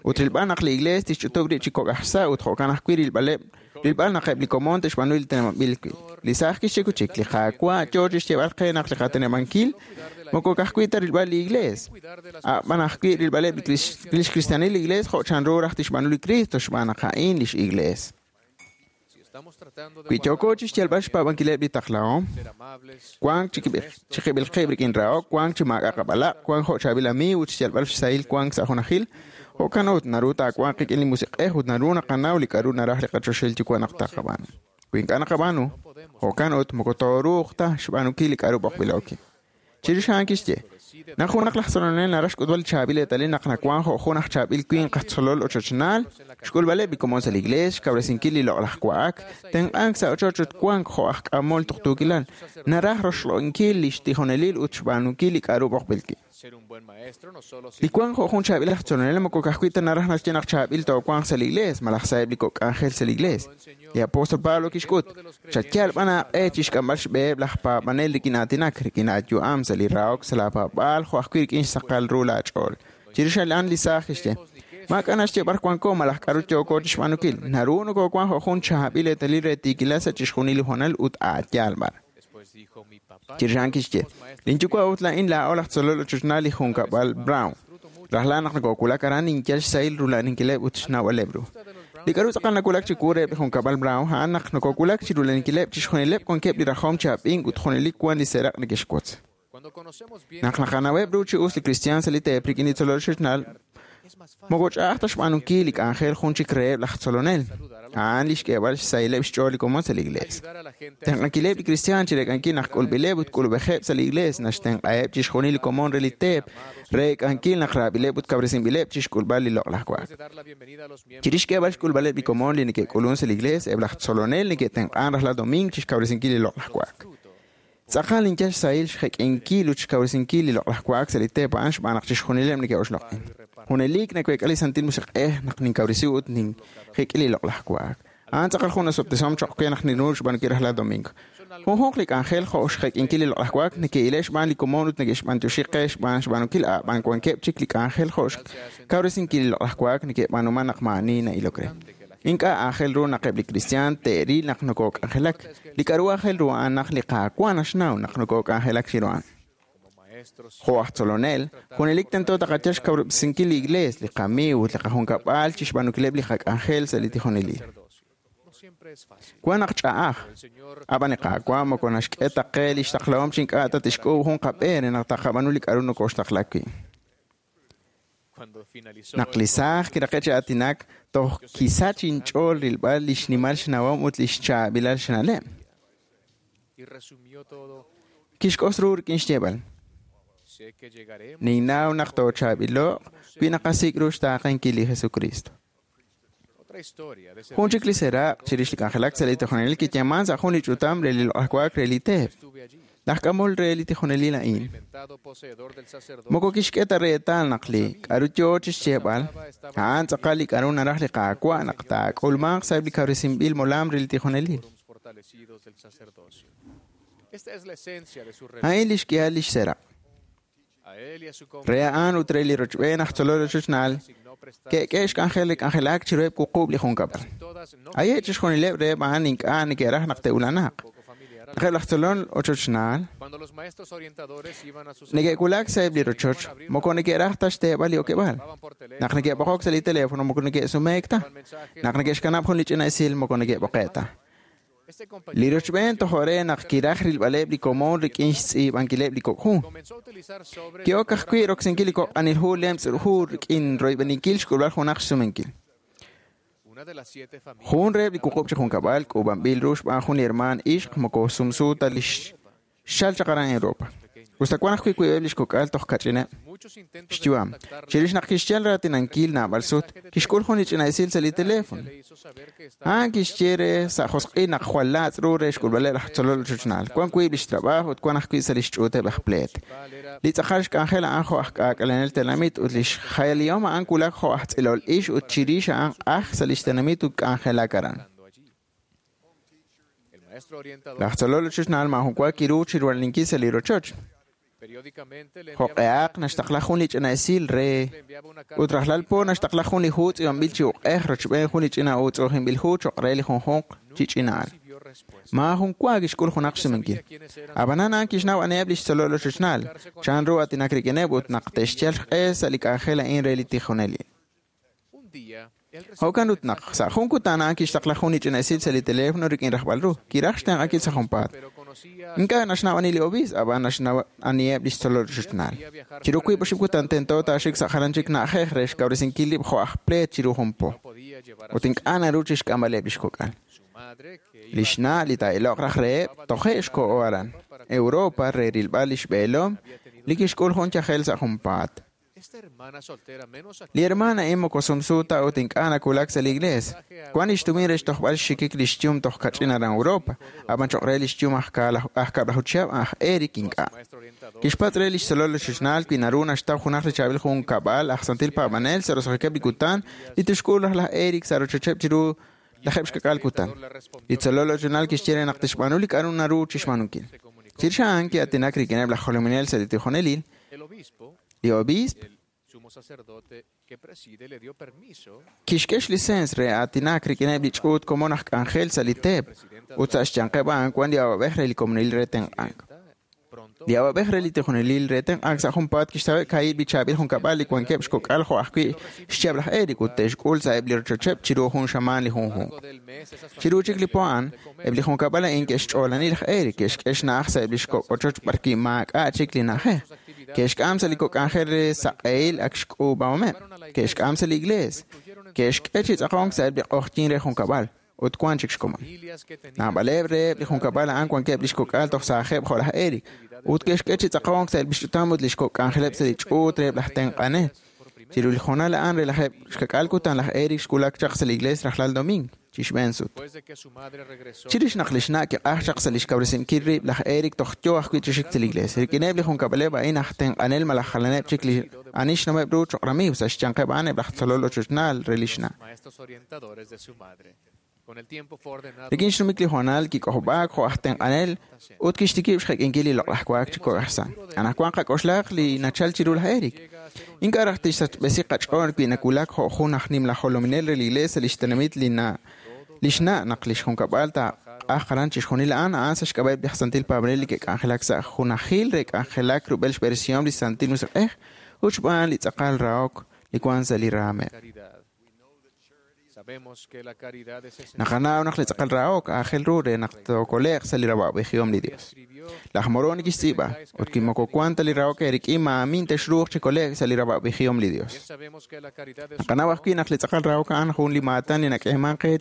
Ut rilb'al naq li iglees tixch'utub' rib' chi kok' aj xsa' ut jo'kan ajwi' rilb'aleb' rilb'al naq eb' li komon te'xb'aanu li teneb'anb'il wi'. Li saaj kixye chik, li Qaawa' yoo chixyeeb'al qe naq li qateneb'ankil moko ka'ajwi' ta rilb'al li iglees. A'b'an ajwi' rilb'aleb' lix kristianil li iglees jo' chanru raj tixb'aanu li Cristo xb'aan naq a'in lix iglees. Wi yooko chixyalb'al xpaab'ankileb' li taqlahom, wank chiqib'il qib' rik'in rahok, wank chi maak'a' qab'alaq', wank jo' chaab'il amiiw ut xyalb'al xsahil wank sa' junajil, jo'kan ut naru taawanq qik'in li musiq'ej ut naru naqanaw li k'aru naraj li qachoxahil Yuwa' naq taqab'aanu. Wi ink'a' naqab'aanu, jo'kan ut moko tooruuq ta xb'aanunkil li k'aru b'oqb'ilo wi'. Chirix a'an kixye, naq junaq laj tzolonel naraj xk'utb'al li chaab'il eetalil naq nawank jo' jun aj chaab'il winq aj tzolol ochochnaal, xk'ulb'aleb' li komon sa' li iglees, xkawresinkil li loq'laj wa'ak, tenq'ank sa' ochoch ut wank jo' aj k'amol tuqtuukilal, naraj roxloq'inkil li xtijonelil ut xb'aanunkil li k'aru b'oqb'il wi'. Li wank jo' jun chaab'il aj tzolonel moko ka'ajwi' ta naraj naxye naq chaab'il toowanq sa' li iglees malaj sa'eb' li kok' k'anjel sa' li iglees. Li apóstol Pablo kixk'ut, chayal b'an aaq'e chixk'amb'al xb'eheb' laj paab'anel rik'in aatinak, rik'in aayu'am sa' li rahok sa' laapaab'aal jo' ajwi' rik'in xsaqal ru laach'ool. Chirix a'an li saaj kixye, maak'a' naxye b'ar wanko malaj k'aru yooko chixb'aanunkil, naru nokoowank jo' jun chaab'il eetalil re tiikilal sa' chixjunil li hoonal ut aayaal b'ar. Chirix a'an kixye, linyuwa' ut laa'in laa'o laj tzolol ochochnaal li junkab'al Brown. Rajlal naq nokowulak aran ninyal xsahil rula'aninkileb' ut xnawb'aleb' ru. Li k'aru tz'aqal nawulak chiwu reheb' li junkab'al Brown a'an naq nokowulak chi rula'aninkileb' chixjunileb' wankeb' li rajom chi ab'ink ut junelik wan li seeraq' neke'xwotz. Naq naqanaweb' ru chi us li kristiaan sa' li teep rik'in li tzolol ochochnaal, moko ch'a'aj ta xb'aanunkil li k'anjel jun chik reheb' laj tzolonel. A'an li xk'eeb'al xsahileb' xch'ool li komon sa' li iglees. Tenq'ankileb' li kristiaan chireek'ankil naq k'ulb'ileb' ut k'ulub'ejeb' sa' li iglees naxtenq'aheb' chixjunil li komon re li teep reek'ankil naq raab'ileb' ut kawresinb'ileb' chixk'ulb'al li loq'laj wa'ak. Chirix xk'eeb'al xk'ulb'aleb' li komon li neke'k'ulun sa' li iglees, eb' laj tzolonel neke'tenq'an rajlal domiing chixkawresinkil li loq'laj wa'ak. Tz'aqal ninyal xsahil xjek'inkil ut xkawresinkil li loq'laj wa'ak sa' li teep a'an xb'aan naq chixjunileb' neke'oxloq'in. Junelik naweek'a li Santil Musiq'ej naq ninkawresi ut ninjek'i li loq'laj wa'ak. A'an tz'aqal jun osob'tesihom cho'q we naq ninru xb'aanunkil rajlal domingo. Junjunq li k'anjel jo' xjek'inkil li loq'laj wa'ak neke'ile' xb'aan li komon ut neke'xb'antioxi qe xb'aan xb'aanunkil a'b'an wankeb' chik li k'anjel jo' xkawresinkil li loq'laj wa'ak neke'b'aanuman naq maa'ani na'ilok re. Ink'a' aajel ru naq eb' li kristiaan te'ril naq nokok'anjelak. Li k'aru aajel ru a'an naq li Qaawa' naxnaw naq nokok'anjelak chiru a'an. Jo' aj tzolonel, junelik tento taqayal xkawresinkil li iglees, li qamiiw ut li qajunkab'al chixb'aanunkileb' li qak'anjel sa' li tijonelil. Wan naq ch'a'aj, ab'an li Qaawa' moko naxk'e ta qe li xtaqlahom chi ink'a' ta tixk'uub' jun qab'e re naq taqab'aanu li k'aru nokoxtaqla wi'. Naq li saaj kiraqe' chi aatinak, toj kisach inch'ool rilb'al li xnimal xnawom ut li xchaab'ilal xna'leb'. Kixk'os ru rik'in xyeeb'al. Ninnaw naq toochaab'ilo'q wi naqasik' ru xtaaqenkil li Jesucristo. Jun chik li seeraq' chirix li k'anjelak sa' li tijonelil kiyeeman sa' jun li ch'utam re li loq'laj wa'ak re li teep. Laj k'amol re li tijonelil a'in moko kixk'e ta reetal naq li k'a'ru yoo chixyeeb'al a'an tz'aqal li k'a'ru naraj li Qaawa' naq taak'ulmanq sa'eb' li kawresinb'il molam re li tijonelil. A'in lix k'ihal lix seraq'. Re a'an ut re li rochb'een aj tzolol ochochnaal ke'k'e xk'anjel li k'anjelak chiruheb' wuqub' li junkab'al. Aye' chixjunileb' reheb' a'an ink'a' neke'raj naq te'ulanaq. Naq eb' laj tzolol ochochnaal neke'wulak sa'eb' li rochoch, moko neke'raj ta xteeb'al li okeb'aal. Naq neke'b'oqok sa' li teléfono, moko neke'sumeek ta. Naq neke'xkanab' jun li ch'ina esil, moko neke'b'oqe' ta. Li rochb'een tojo' re naq kiraj rilb'aleb' li komon rik'in xtz'iib'ankileb' li kok' hu. Ki'ok ajwi' roksinkil li kok' q'anil hu lemtz' hu rik'in royb'eninkil xk'ulb'al junaq xsumenkil. Jun reheb' li wuqub' chi junkab'al k'uub'anb'il ru xb'aan jun li hermaan ixq moko sumsu ta li xchal chaq aran Europa. Usta wan ajwi' wiib'eb' lix kok'al toj kach'ineb' xyu'am. Chirix naq kixyal raatinankil naab'al sut, kixk'ul jun li ch'ina esil sa' li teléfono. A'an kixye re sa' josq'il naq jwal laatz' ru re xk'ulb'aleb' laj tzolol ochochnaal. Wan wiib' lix trabajo ut wan ajwi' sa' lix ch'uuteb' aj pleet. Li tz'aqal xk'anjel a'an jo' aj k'aak'alenel tenamit ut lix jayalihom a'an wulak jo' aj tz'ilol ix ut chirix a'an q'aj sa' lix tenamit ut k'anjelak aran. Laj tzolol ochochnaal maajun wa kiru chirulaninkil sa' li rochoch. Jo'q'ehaq naxtaqla jun li ch'ina esil re ut rajlal po naxtaqla jun li hu tz'iib'anb'il chi uq'ej rochb'een jun li ch'ina utz'u'ujinb'il hu cho'q re li junjunq chi ch'ina'al. Maajun wa kixk'ul junaq xsumenkil. Ab'anan a'an kixnaw aniheb' lix tzolol ochochnaal, chan ru aatinak rik'ineb' ut naq te'xyal xq'e sa' li k'anjel a'in re li tijonelil. Jo'kan ut naq sa' jun kutan a'an kixtaqla jun li ch'ina esil sa' li teléfono rik'in rajb'al ru. Kiraj xtenq'ankil sa' junpaat. Ink'a' naxnaw ani li obiisp, ab'an naxnaw aniheb' lix tzolol ochochnaal. Chiru wiib' oxib' kutan tento taaxik sa' jalan chik na'ajej re xkawresinkil rib' jo' aj pleet chiru jun po. Ut ink'a' naru chixk'amb'aleb' lix kok'al. Lix na' li taa'iloq raj reheb' toje' xko'o aran Europa re rilb'al lix b'eelom li kixk'ul jun yajel sa' junpaat. Li hermana a'in moko sumsu ta ut ink'a' nawulak sa' li iglees. Wan lix tumin re xtojb'al xxikik lix yum toj kach'in aran Europa, ab'an cho'q re lix yum aj kab'laju chihab' aj Eric ink'a'. Kixpatz' re lix tzolol ochochnaal wi naru naxtaw junaq li chaab'il junkab'al aj santil paab'anel sa' roso'jikeb' li kutan li tixk'ul raj laj Eric sa' rochocheb' chiru lajeb' xkak'al kutan. Li tzolol ochochnaal kixye re naq tixb'aanu li k'a'ru naru chixb'aanunkil. Chirix a'an ki'aatinak rik'ineb' laj jolominel sa' li tijonelil. Li obiisp kixk'e xlisens re aatinak rik'ineb' li ch'uut komon aj k'anjel sa' li teep ut sa' xyanqeb' a'an wan li awab'ej re li komonil re tenq'ank. Li awab'ej re li tijonelil re tenq'ank sa' junpaat kixtaweb' kaahib' li chaab'il junkab'al li wankeb' xkok'al jo' ajwi' xchihab' laj Eric ut te'xk'ul sa'eb' li rochocheb' chiru jun xamaan li junjunq. Chiru chik li po a'an, eb' li junkab'al a'in ke'xch'oolani laj Eric, ke'xk'e xna'aj sa'eb' li xkok' ochoch b'arwi' maak'a' chik li na'ajej. Ke'xk'am sa' li kok' k'anjel re saq'ehil ak xk'uub'ahomeb'. Ke'xk'am sa' li iglees. Ke'xk'e chi tz'aqonk sa'eb' li q'oqyink re junkab'al ut wan chik xkomon. Naab'aleb' reheb' li junkab'al a'an wankeb' lix kok'al toj saajeb' jo' laj Eric ut ke'xk'e chi tz'aqonk sa'eb' li xch'utam ut li xkok' k'anjeleb' sa' li ch'uut reheb' laj tenq'anel. Chiru li hoonal a'an re lajeb' xkak'al kutan laj Eric xwulak chaq sa' li iglees rajlal domingo chixb'een sut. Chirix naq lix na' kiq'aj chaq sa' lix kawresinkil rib' laj Eric toj yoo ajwi' chi xik sa' li iglees. Rik'ineb' li junkab'aleb' a'in aj tenq'anel malaj jalaneb' chik li ani xnaweb' ru cho'q ramiiw sa' xyanqeb' a'an eb' laj tzolol ochochnaal re lix na'. Rik'in xnumik li hoonal kik'ojob'aak jo' aj tenq'anel ut kixtikib' xjek'inkil li loq'laj waak chi kok' aj sa'. Anaqwan qak'oxlaq li nachal chiru laj Eric. Ink'a' raj tixsachb'esi qach'ool wi nawulak jo' jun aj nimla jolominel re li iglees sa' lix tenamit li na' lix na' naq lix junkab'al taaq'aj aran chixjunil a'an a'an sa' xk'ab'a'eb' li aj santil paab'anel li ke'k'anjelak sa' junajil re k'anjelak rub'el xb'eresihom li Santil Musiq'ej ut xb'aan li tz'aqal rahok li wan sa' li raameb'. Naqanaw naq li tz'aqal rahok aajel ru re naq tookole'q sa' li rawa'b'ejihom li Dios. Laj Moroni kixtz'iib'a ut wi moko wan ta li rahok eerik'in maamin texruuq chi kole'k sa' li rawa'b'ejihom li Dios. Naqanaw ajwi' naq li tz'aqal rahok a'an jun li maatan li nak'eeman qe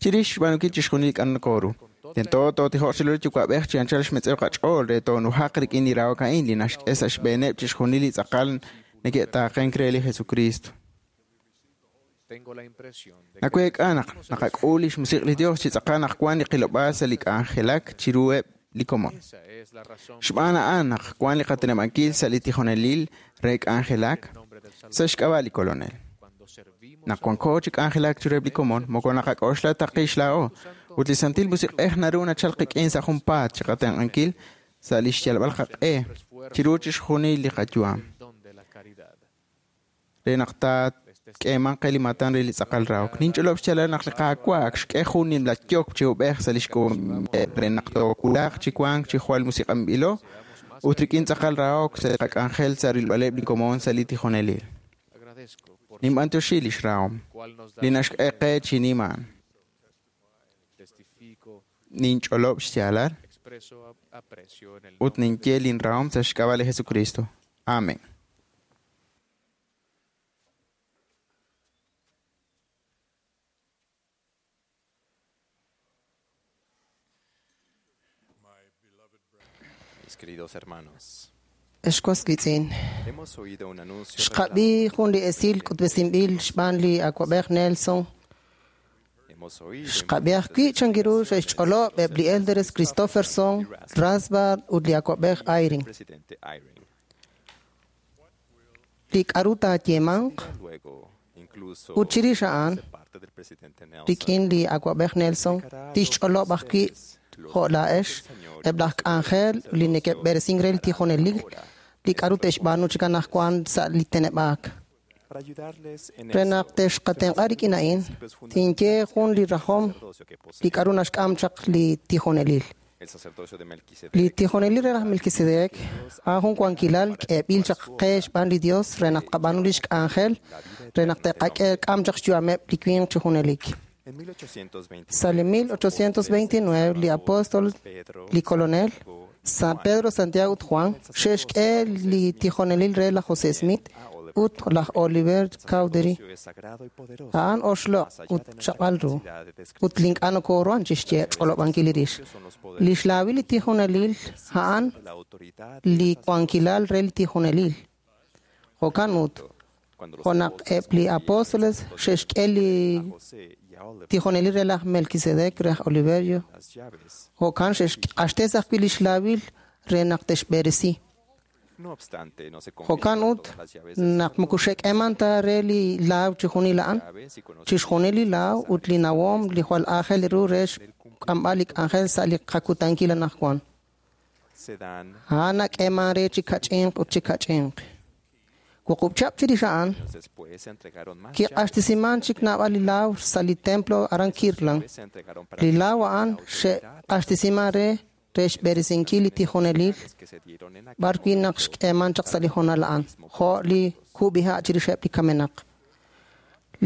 chirix xb'aanunkil chixjunil li k'a'ru nokooru. Tento tootijoq chiru li Yuwa'b'ej chi anchal xmetz'ew qach'ool re toonujaq rik'in li rahok a'in li naxk'e sa' xb'eeneb' chixjunil li tz'aqal neke'taaqenk re li Jesucristo. Naweek'a naq naqak'ul lix musiq' li Dios chi tz'aqal naq wan li qilob'aal sa' li k'anjelak chiruheb' li komon. Xb'aan a'an naq wan li qateneb'ankil sa' li tijonelil re k'anjelak sa' xk'ab'a' li Kolonel. Naq wanko chi k'anjelak chiruheb' li komon, moko naqak'oxla ta qix laa'o, ut li Santil Musiq'ej naru nachal qik'in sa' junpaat chiqatenq'ankil sa' lix yalb'al qaq'e chiru chixjunil li qayu'am. Re naq taak'eemanq qe li maatan re li tz'aqal rahok. Ninch'olob' xyaalal naq li Qaawa' ak xk'e jun nimla yokb' chi ub'ej sa' lix k'uub'anb'il re naq toowulaq chi wank chi jwal musiq'anb'ilo ut rik'in tz'aqal rahok sa' li qak'anjel sa' rilb'aleb' li komon sa' li tijonelil. Ninb'antioxi lix rahom, li naxk'e qe chi niman. Ninch'olob' xyaalal ut ninye lin rahom sa' xk'ab'a' li Jesucristo. Amen. Mis queridos hermanos, Ex was wiitz'in, hemos oído un anuncio xqab'i jun li esil k'utb'esinb'il xb'aan li awa'b'ej Nelson. Hemos oído Xqab'i ajwi' chankiru xe'xch'olob' eb' li Elders Christofferson, Rasband ut li awa'b'ej Eyring. presidente Eyring. Li k'aru taayeemanq Luego, incluso ut chirix a'an, de parte del presidente Nelson, rik'in li awa'b'ej Nelson, tixch'olob' ajwi' jo' laa'ex eb' laj k'anjel li neke'b'eresink re li tijonelil li k'aru te'xb'aanu chi anaqwan sa' li teneb'aak. para ayudarles en Re esto, naq texqatenq'a rik'in a'in, tinye jun li rajom li k'aru naxk'am chaq li tijonelil. el sacerdocio de Melquisedec Li tijonelil re laj Melquisedec a'an jun wankilal k'eeb'il chaq qe xb'aan li Dios re naq tqab'aanu lix k'anjel re naq te'qak'e k'am chaq xyu'ameb' li winq chi junelik. en 1829 Sa' li 1829 li apóstol, li colonel, San Pedro, Santiago ut Juan xe'xk'e li tijonelil re laj José Smith ut laj Oliver Cowdery. es sagrado y poderoso. A'an oxloq' ut chaq'al ru ut li ink'a' nokoruhan chixye ch'olob'ankil li rix. Li xlaawil li tijonelil a'an La autoridad li wankilal re li tijonelil. Jo'kan ut, cuando los jo' naq eb' li apóstoles xe'xk'e li José y a Oliver tijonelil re laj Melquisedec re laj Oliverio, las llaves. jo'kan xe'xq'axtes ajwi' li xlaawil re naq te'xb'eresi. No obstante, no se Jo'kan confirman ut, todas las llaves naq moko xe'k'eeman ta re li laaw chixjunil a'an, llaves y conocimiento chixjunil li laaw ut li nawom li jwal aajel ru re xk'amb'al li k'anjel sa' li qakutankil anaqwan. se dan A'an nak'eeman re chi kach'inq ut chi kach'inq. Wuqub' chihab' chirix a'an, años después se entregaron más llaves. kiq'axtesiman chik naab'al li laaw sa' li templo aran Kirtland. Se entregaron para Li laaw a'an xe'q'axtesiman re re xb'eresinkil li tijonelil que se dieron en aquel b'ar wi' naq xk'eeman chaq sa' li hoonal a'an, jo' li kub'iha' chirixeb' li kamenaq.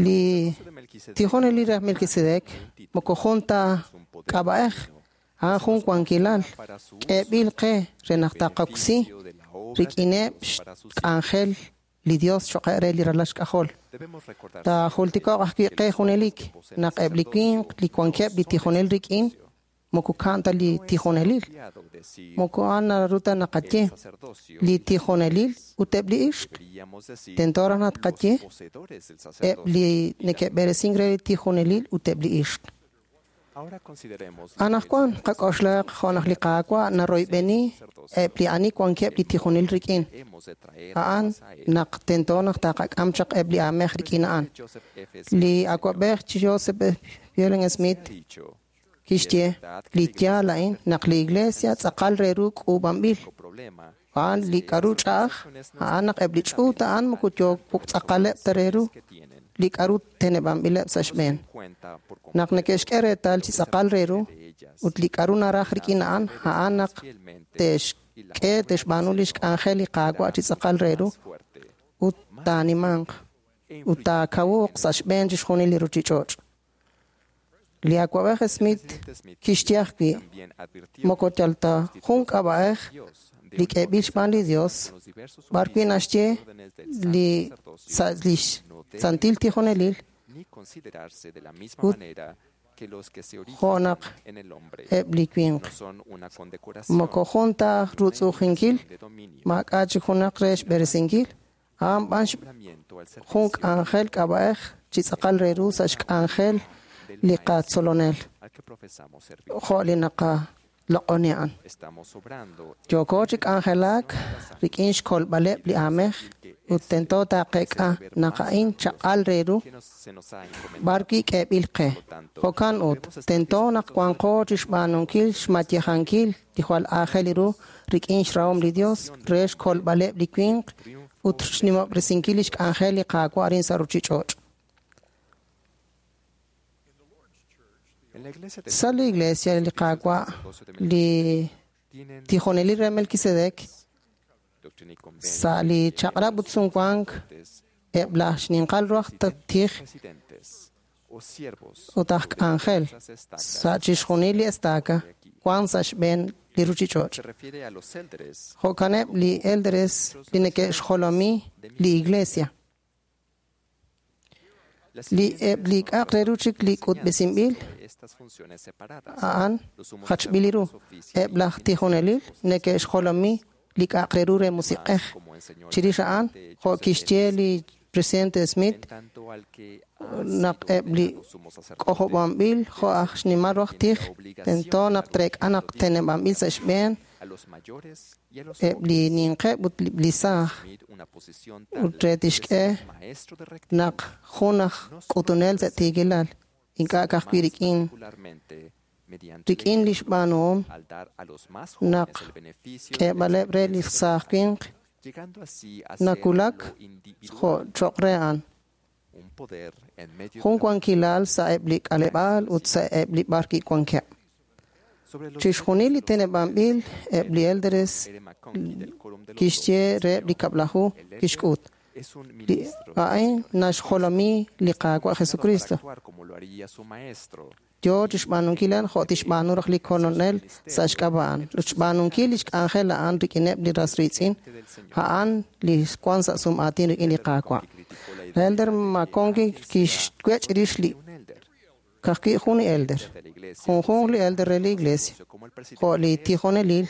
Li tijonelil re Melquisedec moko jun ta k'ab'a'ej, a'an jun wankilal k'eeb'il qe re naq taqoksi rik'ineb' xk'anjel li Dios choq' re li ralal xk'ajol. Debemos recordar Taajultiko'q ajwi' qe junelik naq eb' li winq li wankeb' li tijonel rik'in moko ka'an ta li tijonelil. fiado decir Moko a'an naru ta naqaye sacerdocio li tijonelil ut eb' li ixq. deberíamos decir Tento raj naq tqaye poseedores del eb' sacerdocio. li neke'b'eresink re li tijonelil ut eb' li ixq. Ahora consideremos Anaqwan qak'oxlaq jo' naq li Qaawa' naroyb'eni eb' li ani wankeb' li tijonel rik'in. hemos de traer A'an naq tento naq taqak'am chaq eb' li aamej rik'in a'an. Joseph F. Li awa'b'ej Joseph Fielding Smith dicho kixye li yaal a'in naq li iglesia tz'aqal re ru k'uub'anb'il. problema A'an li k'aru ch'a'aj, a'an naq eb' li ch'uut a'an moko yook tz'aqaleb' ta re ru li k'aru teneb'anb'ileb' sa' xb'een. cuenta por Naq neke'xk'e reetal chi tz'aqal re ru ut li k'aru naraj rik'in a'an, a'an naq te'xk'e te'xb'aanu lix k'anjel li Qaawa' chi tz'aqal re ru ut taanimanq ut taakawuq sa' xb'een chixjunil li ruchich'och'. Li awa'b'ej Smith kixye ajwi' también advirtió moko yal ta jun k'ab'a'ej li k'eeb'il xb'aan li Dios, b'ar wi' naxye li sa' lix santil tijonelil ni considerarse de la misma Ut manera que los que se jo' originan naq en el hombre. eb' li winq. No son una condecoración Moko jun ta rutz'ujinkil, de dominio, maak'a' chik junaq re xb'eresinkil, a'an b'an nombramiento al jun k'anjel k'ab'a'ej chi tz'aqal re ru sa' xk'anjel li qatzolonel, al que profesamos servir. jo' li naqa loq'oni a'an. Yooko chi k'anjelak rik'in xkolb'aleb' li aamej ut tento taqeek'a naq a'in chaq'al re ru b'ar wi' k'eeb'il qe. Jo'kan ut, tento naq wanqo chixb'aanunkil xmayejankil li jwal aajel ru rik'in xrahom li Dios re xkolb'aleb' li winq ut xnimob'resinkil lix k'anjel li Qaawa' arin sa' ruchich'och'. Sa' li Iglesia li Qaawa' li tijonelil re Melquisedec sa' li chaq'rab' ut sumwank eb' laj xninqal ru aj tij ut aj k'anjel sa' chixjunil li estaca wan sa' xb'een li ruchich'och'. Jo'kaneb' li elders li neke'xjolomi li Iglesia. Li eb' li k'a'aq re ru chik li k'utb'esinb'il a'an jachb'il ru. Eb' laj tijonelil neke'xjolomi li k'a'aq re ru re musiq'ej. Chirix a'an, jo' kixye li presidente Smith, naq eb' li k'ojob'anb'il jo' aj xnimal ru aj tij, tento naq treek'a naq teneb'anb'il sa' xb'een eb' li ninqeb' ut li saaj ut re tixk'e naq jun aj k'utunel sa' tiikilal ink'a' ka'ajwi' rik'in li xb'aanuhom naq k'eeb'aleb' re li saaj winq nakulak jo' choq' re a'an. Jun wankilal sa' eb' li k'aleb'aal ut sa' eb' li b'ar kiwankeb'. Chixjunil li teneb'anb'il eb' li elders kixye reheb' li kab'laju kixk'ut. Li a'in naxjolomi li Qaawa' Jesucristo. Yo chixb'aanunkil a'an jo' tixb'aanu raj li Kolonel sa' xk'ab'a' a'an. Ut xb'aanunkil lix k'anjel a'an rik'ineb' li ras riitz'in, a'an li wan sa' sum'aatin rik'in li Qaawa'. Elder McConkie kixwech' rix li ka'ajwi' jun li elder, junjunq li elder re li Iglesia, jo' li tijonelil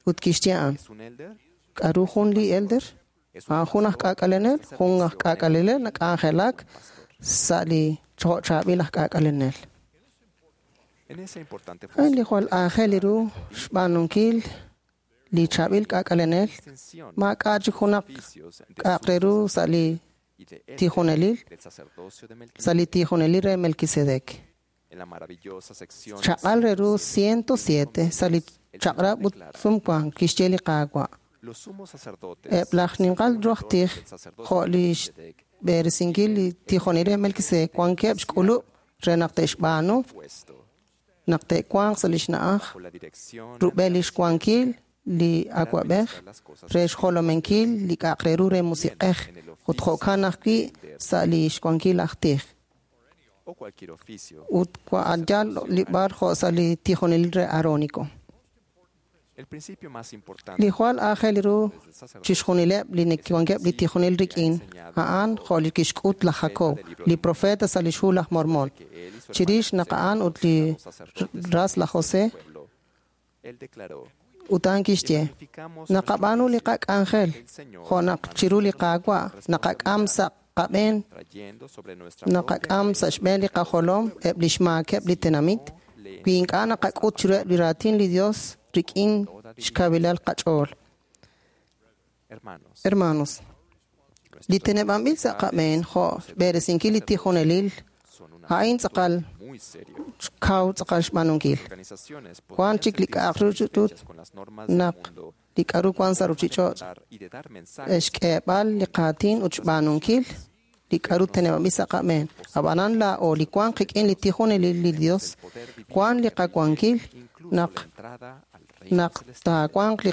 ut kixye a'an. K'a'ru jun li elder? A'an jun aj k'aak'alenel, jun aj k'aak'alenel nak'anjelak sa' li jo' chaab'il aj k'aak'alenel. A'in li jwal aajel ru xb'aanunkil li chaab'il k'aak'alenel maak'a' chik junaq k'a'aq re ru sa' li tijonelil, sa' li tijonelil re Melquisedec. Chaq'al re ru 107 sa' li chaq'rab' ut sumwank kixye li Qaawa'. Eb' laj ninqal ru aj tij jo' li xb'eresinkil li tijonelil re Melquisedec wankeb' xk'ulub' re naq te'xb'aanu naq te'wanq sa' lix na'aj rub'el lix wankil li awab'ej re xjolominkil li k'a'aq re ru re musiq'ej ut jo'kan ajwi' sa' li xwankil aj tij. Ut yal li b'ar jo' sa' li tijonelil re Aarónico. Li jwal aajel ru chixjunileb' li neke'wankeb' li tijonel rik'in a'an jo' li kixk'ut laj Jacob, li profeta sa' lix hu laj Mormon. Chirix naq a'an ut li ras laj José ut a'an kixye, naqab'aanu li qak'anjel jo' naq chiru li Qaawa' naqak'am sa' qab'een, naqak'am sa' xb'een li qajolom eb' li xmaakeb' li tenamit, wi ink'a' naqak'ut chiruheb' li raatin li Dios rik'in xkawilal qach'ool. Hermanos, li teneb'anb'il sa' qab'een jo' xb'eresinkil li tijonelil a'in tz'aqal kaw tz'aqal xb'aanunkil. Wan chik li k'a'aq ru naq li k'a'ru wan sa' ruchich'och' xk'eeb'al li qaatin ut xb'aanunkil li k'a'ru teneb'anb'il sa' qab'een. Ab'anan laa'o li wan qik'in li tijonelil li Dios, wan li qawankil naq naq taawanq li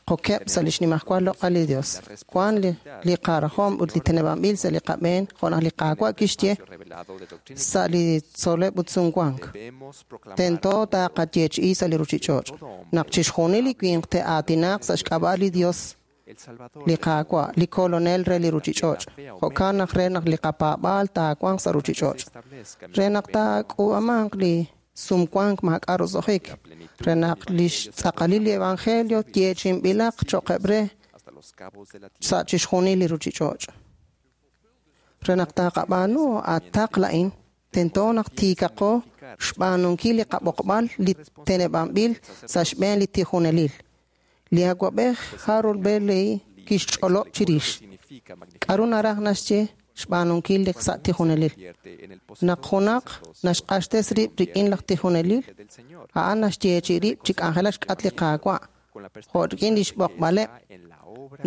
qokeb' sa' li xnimajwal loq'al li Dios. Wan li qarajom ut li teneb'anb'il sa' li qab'een jo' naq li Qaawa' kixye sa' li tzol'leb' ut sumwank. Tento taqayeechi'i sa' li ruchich'och' naq chixjunil li winq te'aatinaq sa' xk'ab'a' li Dios li Qaawa', li Kolonel re li ruchich'och'. Jo'kan naq re naq li qapaab'aal taawanq sa' ruchich'och'. Re naq taak'uub'amanq li sumwank maak'a' roso'jik, re naq lix tz'aqalil li evangelio yeechi'inb'ilaq cho'qeb' re sa' chixjunil li ruchich'och'. Re naq taqab'aanu ataq la'in, Tento naq tiikaqo xb'aanunkil li qab'oqb'al li teneb'anb'il sa' xb'een li tijonelil. Li awa'b'ej Harold B. Lee kixch'olob' chirix k'a'ru naraj naxye xb'aanunkil li sa' tijonelil. Naq junaq naxq'axtes rib' rik'in laj tijonelil, a'an naxyeechi rib' chi k'anjelak xk'at li Qaawa', jo' rik'in lix b'oqb'aleb'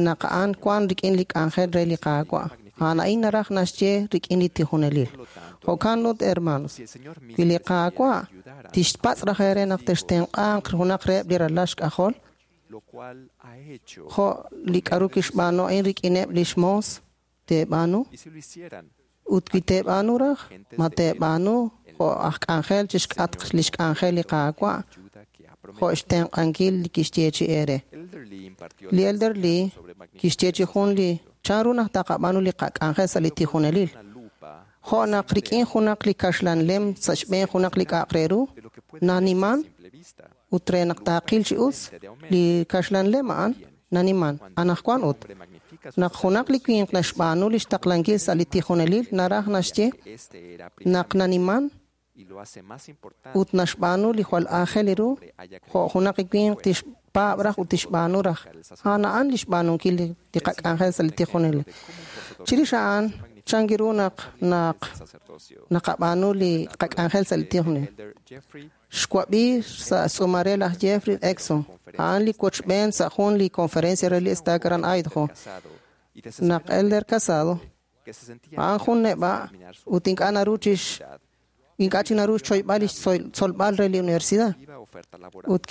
naq a'an wan rik'in li k'anjel re li Qaawa'. A'an a'in naraj naxye rik'in li tijonelil. Jo'kan ut, hermanos, wi li Qaawa' tixpatz' raj eere naq textenq'anq junaq reheb' li ralal xk'ajol, jo' li k'a'ru kixb'aanu a'in rik'ineb' lix moos, teeb'aanu? Ut wi teeb'aanu raj, ma teeb'aanu jo' aj k'anjel chixk'atq lix k'anjel li Qaawa', jo' xtenq'ankil li kixyeechi eere. Li Elder Lee kixyeechi jun li chanru naq taqab'aanu li qak'anjel sa' li tijonelil. Jo' naq rik'in junaq li kaxlan lem sa' xb'een junaq li k'a'aq re ru, naniman, ut re naq taaqil chi us, li kaxlan lem a'an naniman. Anaqwan ut, naq junaq li winq naxb'aanu lix taqlankil sa' li tijonelil, naraj naxye naq naniman ut naxb'aanu li jwal aajel ru, jo' junaq li winq tixpaab' raj ut tixb'aanu raj. A'an a'an li xb'aanunkil li qak'anjel sa' li tijonelil. Chirix a'an, chan ru naq naq naqab'aanu li qak'anjel sa' li tijonelil. Xwab'i sa' tz'uumal re laj Jeffrey Exon, a'an li wochb'een sa' jun li conferencia re li estaca aran Idaho. Naq Elder Casado, a'an jun neb'a' ut ink'a' naru chix ink'a' chi naru xchoyb'al lix tzolb'al re li universidad. Ut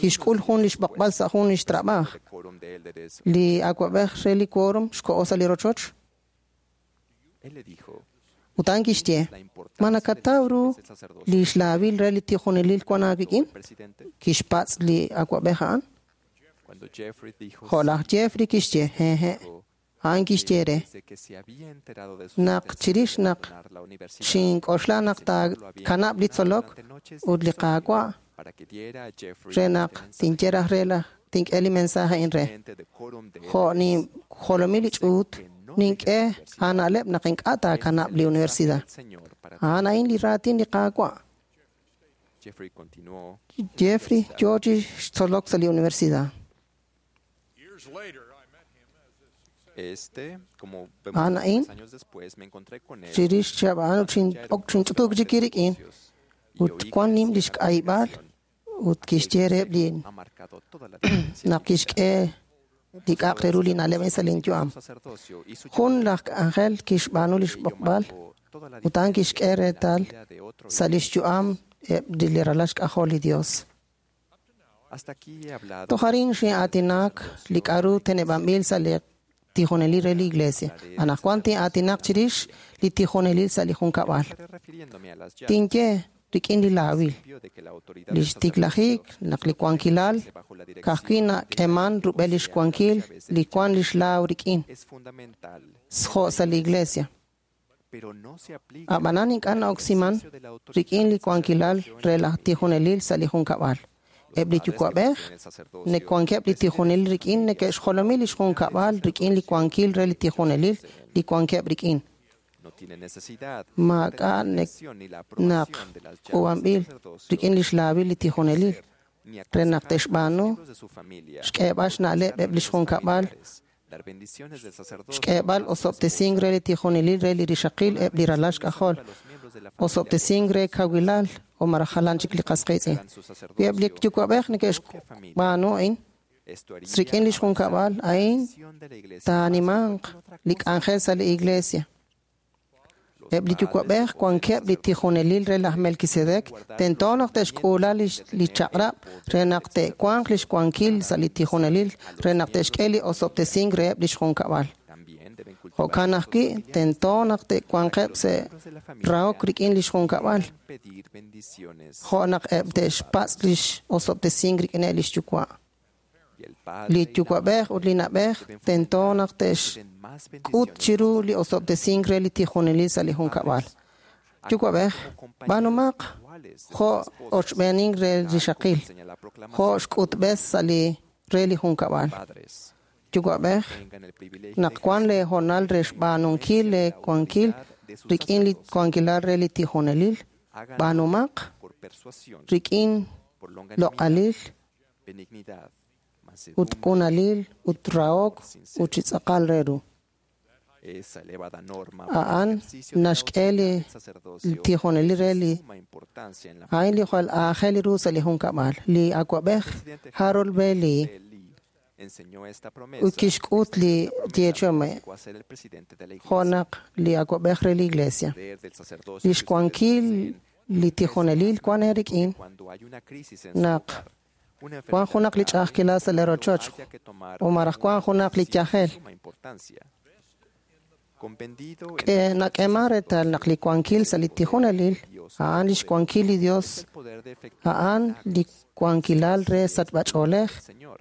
kixk'ul jun lix b'oqb'al sa' jun lix trab'aaj. Li awa'b'ej re li quórum xko'o sa' li rochoch. Ut a'an kixye, ma nakataw ru li xlaawil re li tijonelil wan aawik'in? Kixpatz' li awa'b'ej a'an. Jo' laj Jeffrey kixye, hehe'. A'an kixye re, naq chirix naq xink'oxla naq taakanab' li tzolok ut li Qaawa' re naq tinye raj re laj tink'e li mensaje a'in re. Jo' ninjolomi li ch'uut, nink'e aana'leb' naq ink'a' taakanab' li universidad. A'an a'in li raatin li Qaawa'. Jeffrey yoo chi xtzolok sa' li universidad. A'an a'in, chirix chihab' a'an ok xinch'utuk chik rik'in ut wan nim lix k'ayb'al ut kixye reheb' li naq kixk'e li k'a'aq re ru li na'leb' a'in sa' lin yu'am. Jun laj k'anjel kixb'aanu lix b'oqb'al ut a'an kixk'e reetal sa' lix yu'am eb' li ralal xk'ajol li Dios. Toj arin xin'aatinak li k'a'ru teneb'anb'il sa' li tijonelil re li iglesia. Anaqwan tin'aatinaq chirix li tijonelil sa' li junkab'al. Tinye rik'in li laawil, li xtiklajik naq li wankilal ka'ajwi' nak'eman rub'el lix wankil li wan lix laaw rik'in, jo' sa' li iglesia. Ab'anan ink'a' na'oksiman rik'in li wankilal re laj tijonelil sa' li junkab'al. Eb' li yuwa'b'ej neke'wankeb' li tijonelil rik'in neke'xjolomi lix junkab'al rik'in li wankil re li tijonelil li wankeb' rik'in. Maak'a' naq k'uub'anb'il rik'in lix laawil li tijonelil re naq te'xb'aanu xk'eeb'al xna'leb' eb' lix junkab'al, xk'eeb'al osob'tesink re li tijonelil re li rixaqil eb' li ralal xk'ajol, osob'tesink re kawilal o maraj jalan chik li qas qiitz'in. Wi eb' li yuwa'b'ej neke'xb'aanu a'in rik'in lix junkab'al a'in taanimanq li k'anjel sa' li iglesia. Eb' li yuwa'b'ej wankeb' li tijonelil re laj Melquisedec tento naq te'xk'uula li chaq'rab' re naq te'wanq lix wankil sa' li tijonelil re naq te'xk'e li osob'tesink reheb' lix junkab'al. Jo'kan ajwi' tento naq te'wanqeb' sa' rahok rik'in lix junkab'al, jo' naq eb' te'xpatz' lix osob'tesink rik'ineb' lix yuwa'. Li yuwa'b'ej ut li na'b'ej tento naq te'xk'ut chiru li osob'tesink re li tijonelil sa' li junkab'al. Yuwa'b'ej, b'aanumaq jo' ochb'eenink re rixaqil, jo' xk'utb'es sa' li re li junkab'al. Yuwa'b'ej, naq wan lee hoonal re xb'aanunkil lee wankil rik'in li wankilal re li tijonelil, b'aanumaq rik'in loq'alil ut q'unalil ut rahok ut chi tz'aqal re ru. A'an naxk'e li tijonelil re li a'in li jwal aajel ru sa' li junkab'al. Li awab'ej Harold B. Lee ut kixk'ut li yeechi'om jo' naq li awab'ej re li Iglesia. Lix wankil li tijonelil wan eerik'in naq wan junaq li ch'a'ajkilal sa' li rochoch o malaj wan junaq li yajel. Nak'eeman reetal naq li wankil sa' li tijonelil a'an lix wankil li Dios, a'an li wankilal re sachb'ach'oolej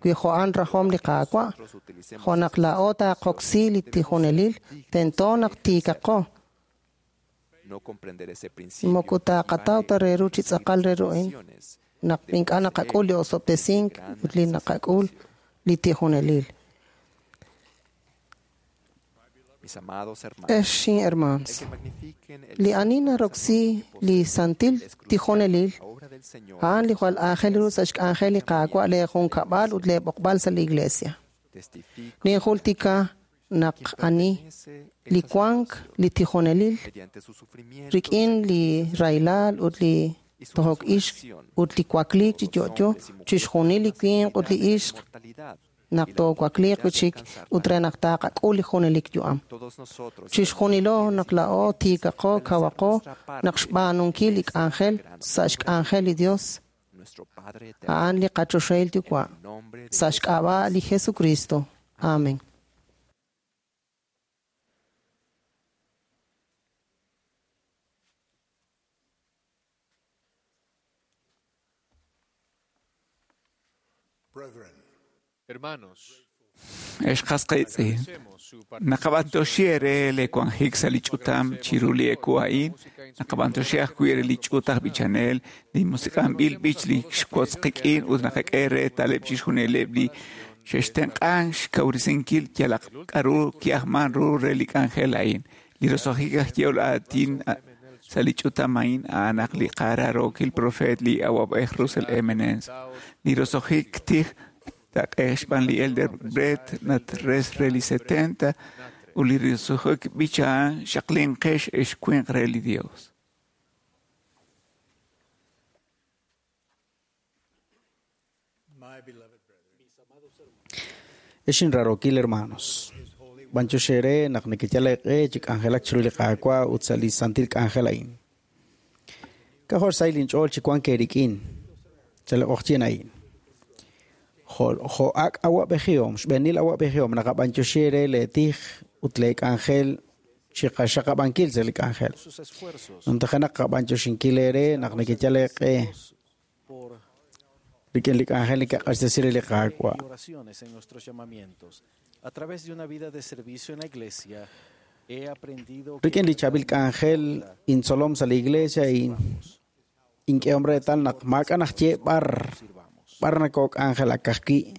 wi jo'an rajom li Qaawa'. Jo' naq laa'o taaqoksi li tijonelil, tento naq tiikaqo. Moko taaqataw ta re ru chi tz'aqal re ru'in naq ink'a' naqak'ul li osob'tesink ut li naqak'ul li tijonelil. Ex hermanos, li ani naroksi li santil tijonelil, a'an li jwal aajel ru sa' xk'anjel li Qaawa' le junkab'al ut le b'oqb'al sa' li Iglesia. Ninjultika naq ani li wank li tijonelil rik'in li rahilal ut li tojok ixq ut li wakliik chi yo'yo chixjunil li winq ut li ixq naq toowakliiq wi'chik ut re naq taaqak'ul li junelik yu'am. Chixjunilo naq laa'o tiikaqo kawaqo naq xb'aanunkil li k'anjel sa' xk'anjel li Dios a'an li qachoxahil Yuwa' sa' xk'ab'a' li Jesucristo. Amen. Hermanos, Ex qasqaytz'i naqab'antoxi ere le wanjik sa' li ch'utam chiru li eku a'in, naqab'antoxi ajwi' re li ch'ut aj b'ichanel, li musiq'anb'il b'ich li xwotz qik'in ut naqak'e reetaleb' chixjunileb' li xe'xtenq'an xkawresinkil yalaq k'a'ru ki'ajman ru re li k'anjel a'in. Li roso'jik aj yehol aatin sa' li ch'utam a'in a'an li qaraarookil profeet li awab'ej Russell M. Nelson. Li roso'jik tij taq'ej xb'aan li Elder Brett Natres re li 70 ut li roso'jik b'ich a'an xaqlinqex ex winq re li Dios. Exin rarokil hermanos. B'anchoxere naq neke'yal eeq'e chi k'anjelak chiru li Qaawa' ut sa' li santil k'anjel a'in. K'ajo' xsahil inch'ool chi wank eerik'in sa' li q'oqyink a'in. Jo' ak' awab'ejihom, xb'eenil awab'ejihom naqab'anyoxi re leetij ut leek'anjel chi qaxaqab'ankil sa' li k'anjel. Numtajenaq qab'anyoxinkil eere naq neke'yal eeq'e rik'in li k'anjel neke'q'axtesi re li Qaawa'. Rik'in li chaab'il k'anjel intzolom sa' li iglesia ink'ehom reetal naq maak'a' najye b'ar b'ar nakok'anjelak ka'ajwi'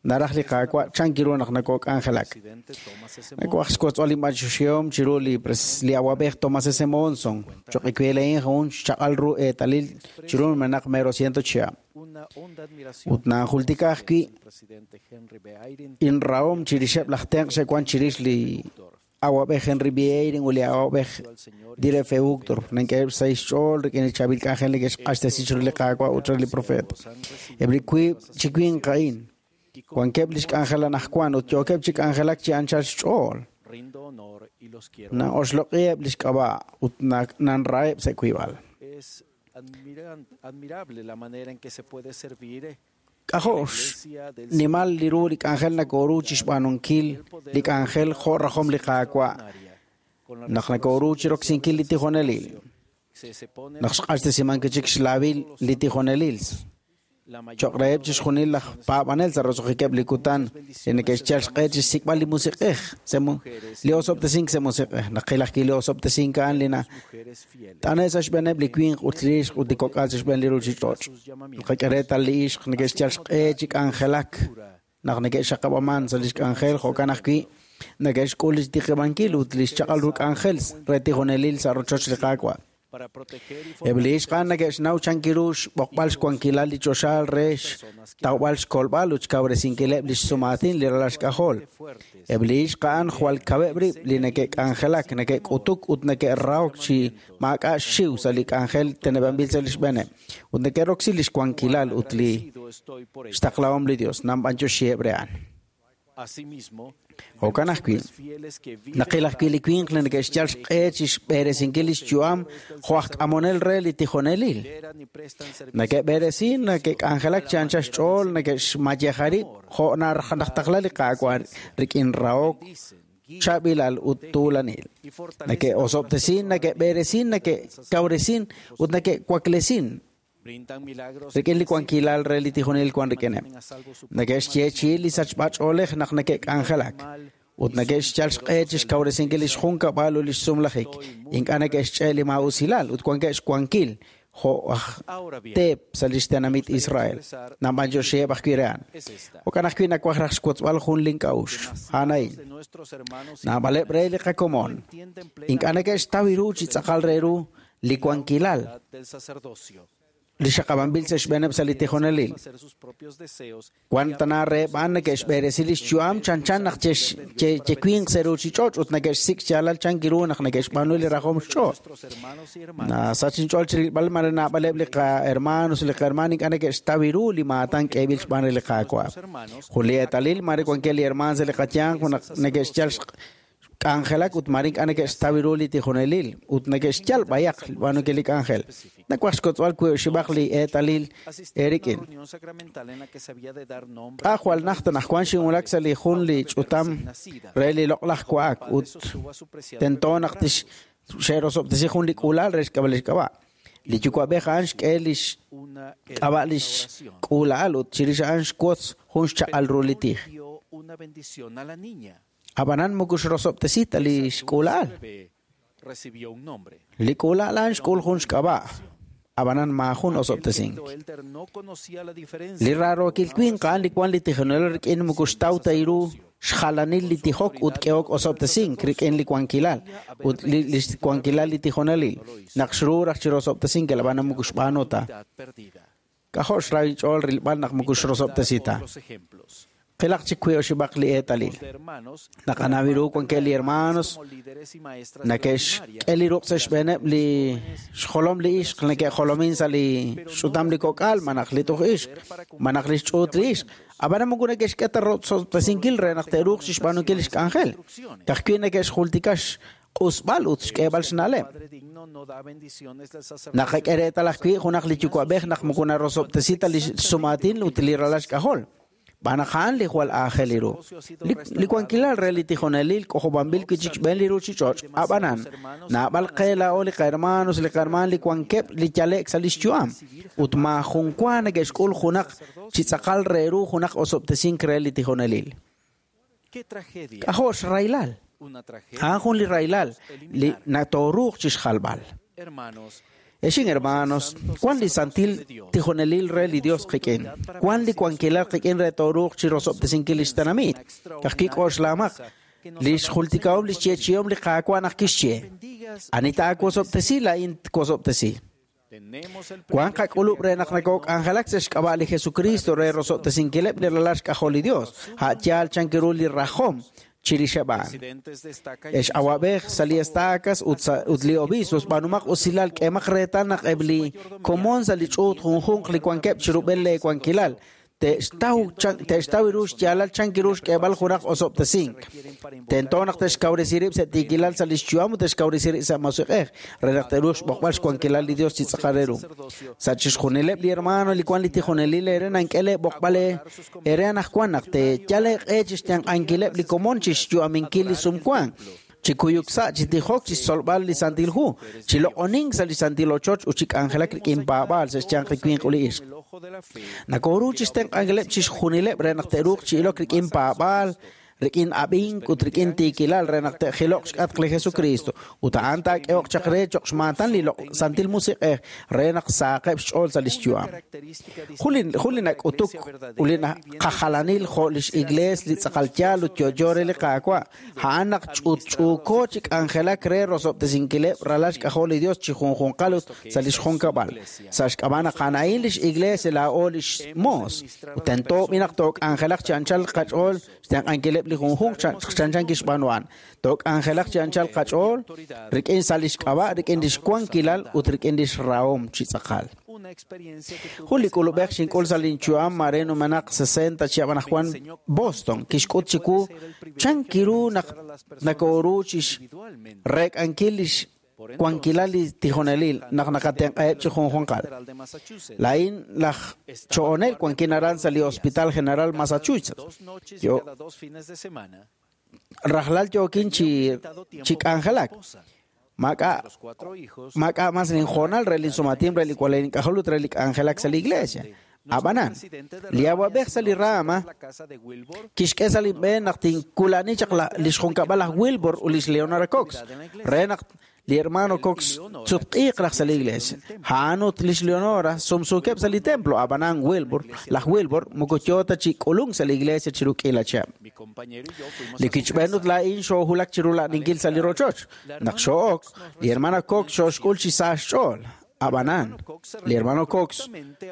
naraj li Qaawa' chan kiru naq nakok'anjelak. Nakuaj xwotz'b'al inb'anyoxihom chiru li awab'ej Thomas S. Monson choq' ikuele'in jun xchaq'al ru eetalil chiru numenaq mero ciento chihab'. Ut nanjultika ajwi' inrahom chirixeb' laj tenq' xe'wan chirix li awab'ej Henry B. Eyring ut li awab'ej Dieter F. Uchtdorf nank'eheb' sa' xch'ool rik'in li chaab'il k'anjel neke'xq'axtesi chiru li Qaawa' ut re li profeet. Eb' li wiib' chi winq a'in wankeb' lix k'anjel anaqwan ut yookeb' chi k'anjelak chi anchal xch'ool. Na'oxloq'iheb' lix k'ab'a' ut nanraheb' sa' wiib'al. K'ajo' xnimal li ru li k'anjel nakoru chi xb'aanunkil li k'anjel jo' rajom li Qaawa' naq nakoru chi roksinkil li tijonelil. Naq xq'axtesiman chik xlaab'il li tijonelil. Choq' reheb' chixjunil laj paab'anel sa' roso'jikeb' li kutan li neke'xyal xq'e chi xsik'b'al li musiq'ej li osob'tesink sa' musiq'ej. Naqil ajwi' li osob'tesink a'an li nat'ane' sa' xb'eeneb' li winq ut li ixq ut li kok'al sa' xb'een li ruuchich'och'. Naqak'e reetal li ixq neke'xyal xq'e chi k'anjelak naq neke'xaqab'aman sa' lix k'anjel jo'kan ajwi' Neke'xk'ul lix tiqib'ankil ut lix chaq'al ru k'anjel re tijonelil sa' rochoch li Qaawa'. Eb' li ixq a'an neke'xnaw chankiru xb'oqb'al xwankilal li choxaal re xtawb'al xkolb'al ut xkawresinkileb' lix sumaatin li ralal xk'ajol. Eb' li ixq a'an jwal kaweb' rib' li neke'k'anjelak, neke'k'utuk ut neke'rahok chi maak'a' xxiw sa' li k'anjel teneb'anb'il sa' lix b'eeneb', ut neke'roksi lix wankilal ut li xtaqlahom li Dios. Nanb'antioxiheb' re a'an. Jo'kan ajwi', naqil ajwi' li winq li neke'xyal xq'e chi xb'eresinkil lix yu'am jo' aj k'amonel re li tijonelil. Neke'b'eresin, neke'k'anjelak chi anchal xch'ool, neke'xmayeja rib' jo' naraj taqla li Qaawa' rik'in rahok, chaab'ilal ut tuulanil. Neke'osob'tesin, neke'b'eresin, neke'kawresin ut neke'waklesin rik'in li wankilal re li tijonelil wan rik'ineb'. Neke'xyeechi'i li sachb'ach'oolej naq neke'k'anjelak ut neke'xyal xq'e chi xkawresinkil lix junkab'al ut lix sumlajik. Ink'a' neke'xch'e li maa'usilal ut wankeb' xwankil jo' aj teep sa' lix tenamit Israel. Nanb'antioxiheb' ajwi' re a'an. Jo'kan ajwi' nawaj raj xwotzb'al jun lin k'a'uxl. A'an a'in. Naab'aleb' re li qakomon. Ink'a' neke'xtaw ru chi tz'aqal re ru li wankilal li xaqab'anb'il sa' xb'eeneb' sa' li tijonelil. Wan tana reheb' a'an neke'xb'eresi lix yu'am chanchan naq chewinq sa' ruchich'och' ut neke'xsik' xyaalal chankiru naq neke'xb'aanu li rajom xch'ool. Nasach inch'ool chi rilb'al mare naab'aleb' li qahermanos li qahermaan ink'a' neke'xtaw ru li maatan k'eeb'il xb'aan li Qaawa'. Jun li eetalil mare wankeb' li hermaan sa' li qayanq naq neke'xyal k'anjelak ut mare ink'a' neke'xtaw ru li tijonelil ut neke'xyal b'ayaq b'aanunkil li k'anjel. Nawaj xkotz'b'al wiib' li eetalil eerik'in. K'a jwal najt anaqwan xinwulak sa' li jun li ch'utam re li loq'laj wa'ak ut tento naq tix xe'rosob'tesi jun li k'uula'al re xk'ab'a' li xk'ab'a'. Li yuwa'b'ej a'an xk'e lix k'ab'a' lix k'uula'al ut chirix a'an xwotz jun xchaq'al ru li tij. Ab'anan moko xrosob'tesi ta li xk'uula'al. Li k'uula'al a'an xk'ul jun xk'ab'a', ab'anan maajun osob'tesink. Li rarookil winq a'an li wan li tijonelil rik'in moko xtaw ta ru xjalanil li tijok ut k'ehok osob'tesink rik'in li wankilal ut li wankilal li tijonelil. Naq xru raj chi rosob'tesinkil ab'anan moko xb'aanu ta. K'ajo' xrahi ch'ool rilb'al naq moko xrosob'tesi ta. Qilaq chik wiib' oxib'aq li eetalil. Naqanaw ru wankeb' li hermanos neke'xk'e li ruq' sa' xb'eeneb' li xjolom li ixq neke'jolomin sa' li xch'utam li kok'al malaj li tuj ixq malaj li xch'uut li ixq. Ab'anan moko neke'xk'e ta rosob'tesinkil re naq te'ruuq chi xb'aanunkil li xk'anjel. Ka'ajwi' neke'xjultika xq'usb'al ut xk'eeb'al xna'leb'. Naqak'e reetal ajwi' junaq li yuwa'b'ej naq moko narosob'tesi ta li xsumaatin ut li ralal xk'ajol. B'anaq a'an li jwal aajel ru. Li wankilal re li tijonelil k'ojob'anb'il wi' chik xb'een li ruchich'och'. Ab'anan, naab'al qe laa'o li qahermanos li qahermaan li wankeb' li yale'k sa' lix yu'am ut maajun wa neke'xk'ul junaq chi tz'aqal re ru junaq osob'tesink re li tijonelil. K'ajo' xraylal. A'an jun li raylal li natooruuq chi xjalb'al. Exin hermanos, wan li santil tijonelil re li Dios qik'in. Wan li wankilal qik'in re tooruuq chi rosob'tesinkil lix tenamit. Ka'ajwi' k'oxlamaq li xjultikahom li xyeechi'om li Qaawa' naq kixye. Ani taawosob'tesi laa'in twosob'tesi. Wan qak'ulub' re naq nakok'anjelak sa' xk'ab'a' li Jesucristo re rosob'tesinkileb' li ralal xk'ajol li Dios. A' yaal chankiru li rajom chirixeb' a'an. Ex awab'ej sa' li estacas ut li obispos b'aanumaq usilal k'eemaq reetal naq eb' li komon sa' li ch'uut junjunq li wankeb' chi rub'el le wankilal te'xtaw ru xyaalal chankiru xk'eeb'al junaq osob'tesink. Tento naq te'xkawresi rib' sa' tiikilal sa' lix yu'am ut te'xkawresi rib' sa' musiq'ej re naq te'ruuq xb'oqb'al xwankilal li Dios chi tz'aqal re ru. Sa' chixjunileb' li hermano li wan li tijonelil ere nank'e le b'oqb'al ere anaqwan naq te'yal eeq'e chi xtenq'ankileb' li komon chi xyu'aminkil li sumwank, chi kuyuk sa' chi tijok chi xtzolb'al li Santil Hu, chi loq'onink sa' li Santil Ochoch ut chi k'anjelak rik'in paab'aal sa' xyanq li winq ut li ixq. Nakoru chi xtenq'ankileb' chixjunileb' re naq te'ruuq chi ilok rik'in paab'aal rik'in ab'ink ut rik'in tiikilal re naq te'jiloq xk'atq li Jesucristo ut a'an taak'ehoq chaq re cho'q xmaatan li loq' Santil Musiq'ej re naq saaqeb' xch'ool sa' lix yu'am. Jun li nak'utuk ut li qajalanil jo' lix Iglees li tz'aqal yaal ut yo'yo re li Qaawa', a'an naq ch'utch'uuko chi k'anjelak re rosob'tesinkileb' ralal xk'ajol li Dios chi junjunqal ut sa' lix junkab'al. Sa' xk'ab'a' naq a'an a'in lix Iglees laa'o lix moos, ut tento b'i naq took'anjelaq chi anchal qach'ool xtenq'ankileb' li junjunq chanchan kixb'aanu a'an. Took'anjelaq chi anchal qach'ool rik'in sa' lix k'ab'a', rik'in lix wankilal ut rik'in lix rahom chi tz'aqal. Jun li k'ulub'ej xink'ul sa' lin yu'am mare numenaq 60 chihab' anaqwan Boston kixk'ut chiwu chan kiru naq nakooru chixreek'ankil lix wankilal li tijonelil naq naqatenq'aheb' chi junjunqal. Laa'in laj cho'onel wankin aran sa' li Hospital General Massachusetts. Yo rajlal yookin chi k'anjelak. Maak'a' mas linjoonal re linsumatim re li walal ink'ajol ut re li k'anjelak sa' li iglesia. Ab'anan, li awab'ej sa' li rama kixk'e sa' li b'een naq tinkulani chaq lix junkab'al laj Wilbur ut lix Leonora Cox re naq li hermano Cox tsutq'iiq raj sa' li iglesia. A'an ut lix Leonora sumsuukeb' sa' li templo. Ab'anan Wilbur, laj Wilbur moko yoo ta chi k'ulunk sa' li iglesia chiru k'iila chihab'. Li kichb'een ut laa'in xoohulak chiru la'ninkil sa' li rochoch. Naq xoo'ok, li hermana Cox xooxk'ul chi sa xch'ool. Ab'anan, li hermano Cox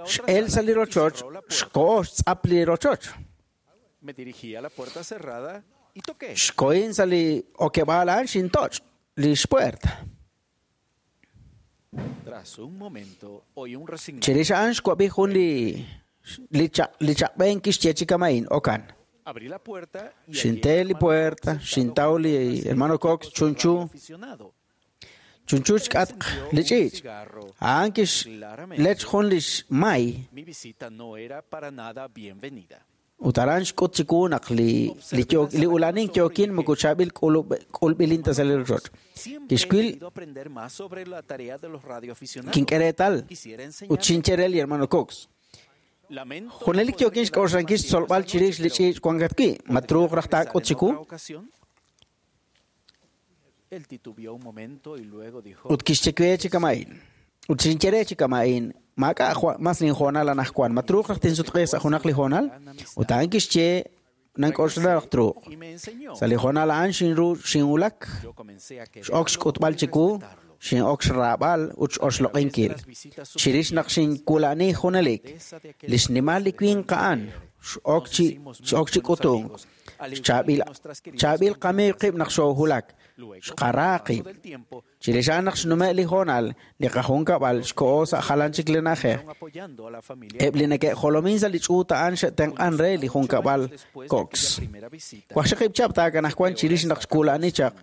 x'el sa' li rochoch, xko'o xtz'ap li rochoch. Xkohin sa' li okeb'aal a'an xintoch' lix puerta. Chirix a'an xwab'i jun li chaq'b'een kixye chi kama'in okan. Xinte li puerta, xintaw li hermano Cox chunchu chunchu xk'atq li ch'iich'. A'an kixlech jun lix may. Ut aran xk'ut chiwu naq li ulanink yookin moko chaab'il k'ulb'ilin ta sa' li rochoch. Kixwil kink'e reetal ut xinye re li hermano Cox. Junelik yookin xk'oxlankil xtzolb'al chirix li ch'iich' wankat wi'. Ma truuq raj taak'ut chiwu? Ut kixye we chi kama'in. Ut xinye re chi kama'in. Maak'a' mas linjoonal anaqwan. Ma truuq raj tinsutq'iiq sa' junaq li hoonal? Ut a'an kixye nank'oxla raj truuq. Sa' li hoonal a'an xinru xinwulak. X'ok xk'utb'al chiwu, xin'ok xraab'al ut x'oxloq'inkil. Chirix naq xinkulani junelik, li xnimal li winq a'an x'ok chi k'utunk. Chaab'il qamiiw qib' naq xoohulak. Xqara qib'. Chirix a'an naq xnume' li hoonal, li qajunkab'al xko'o sa' jalan chik li na'ajej. Eb' li neke'jolomin sa' li ch'uut a'an xe'tenq'an re li junkab'al Cox. Waqxaqib' chihab' taakanajwan chirix naq xkulani chaq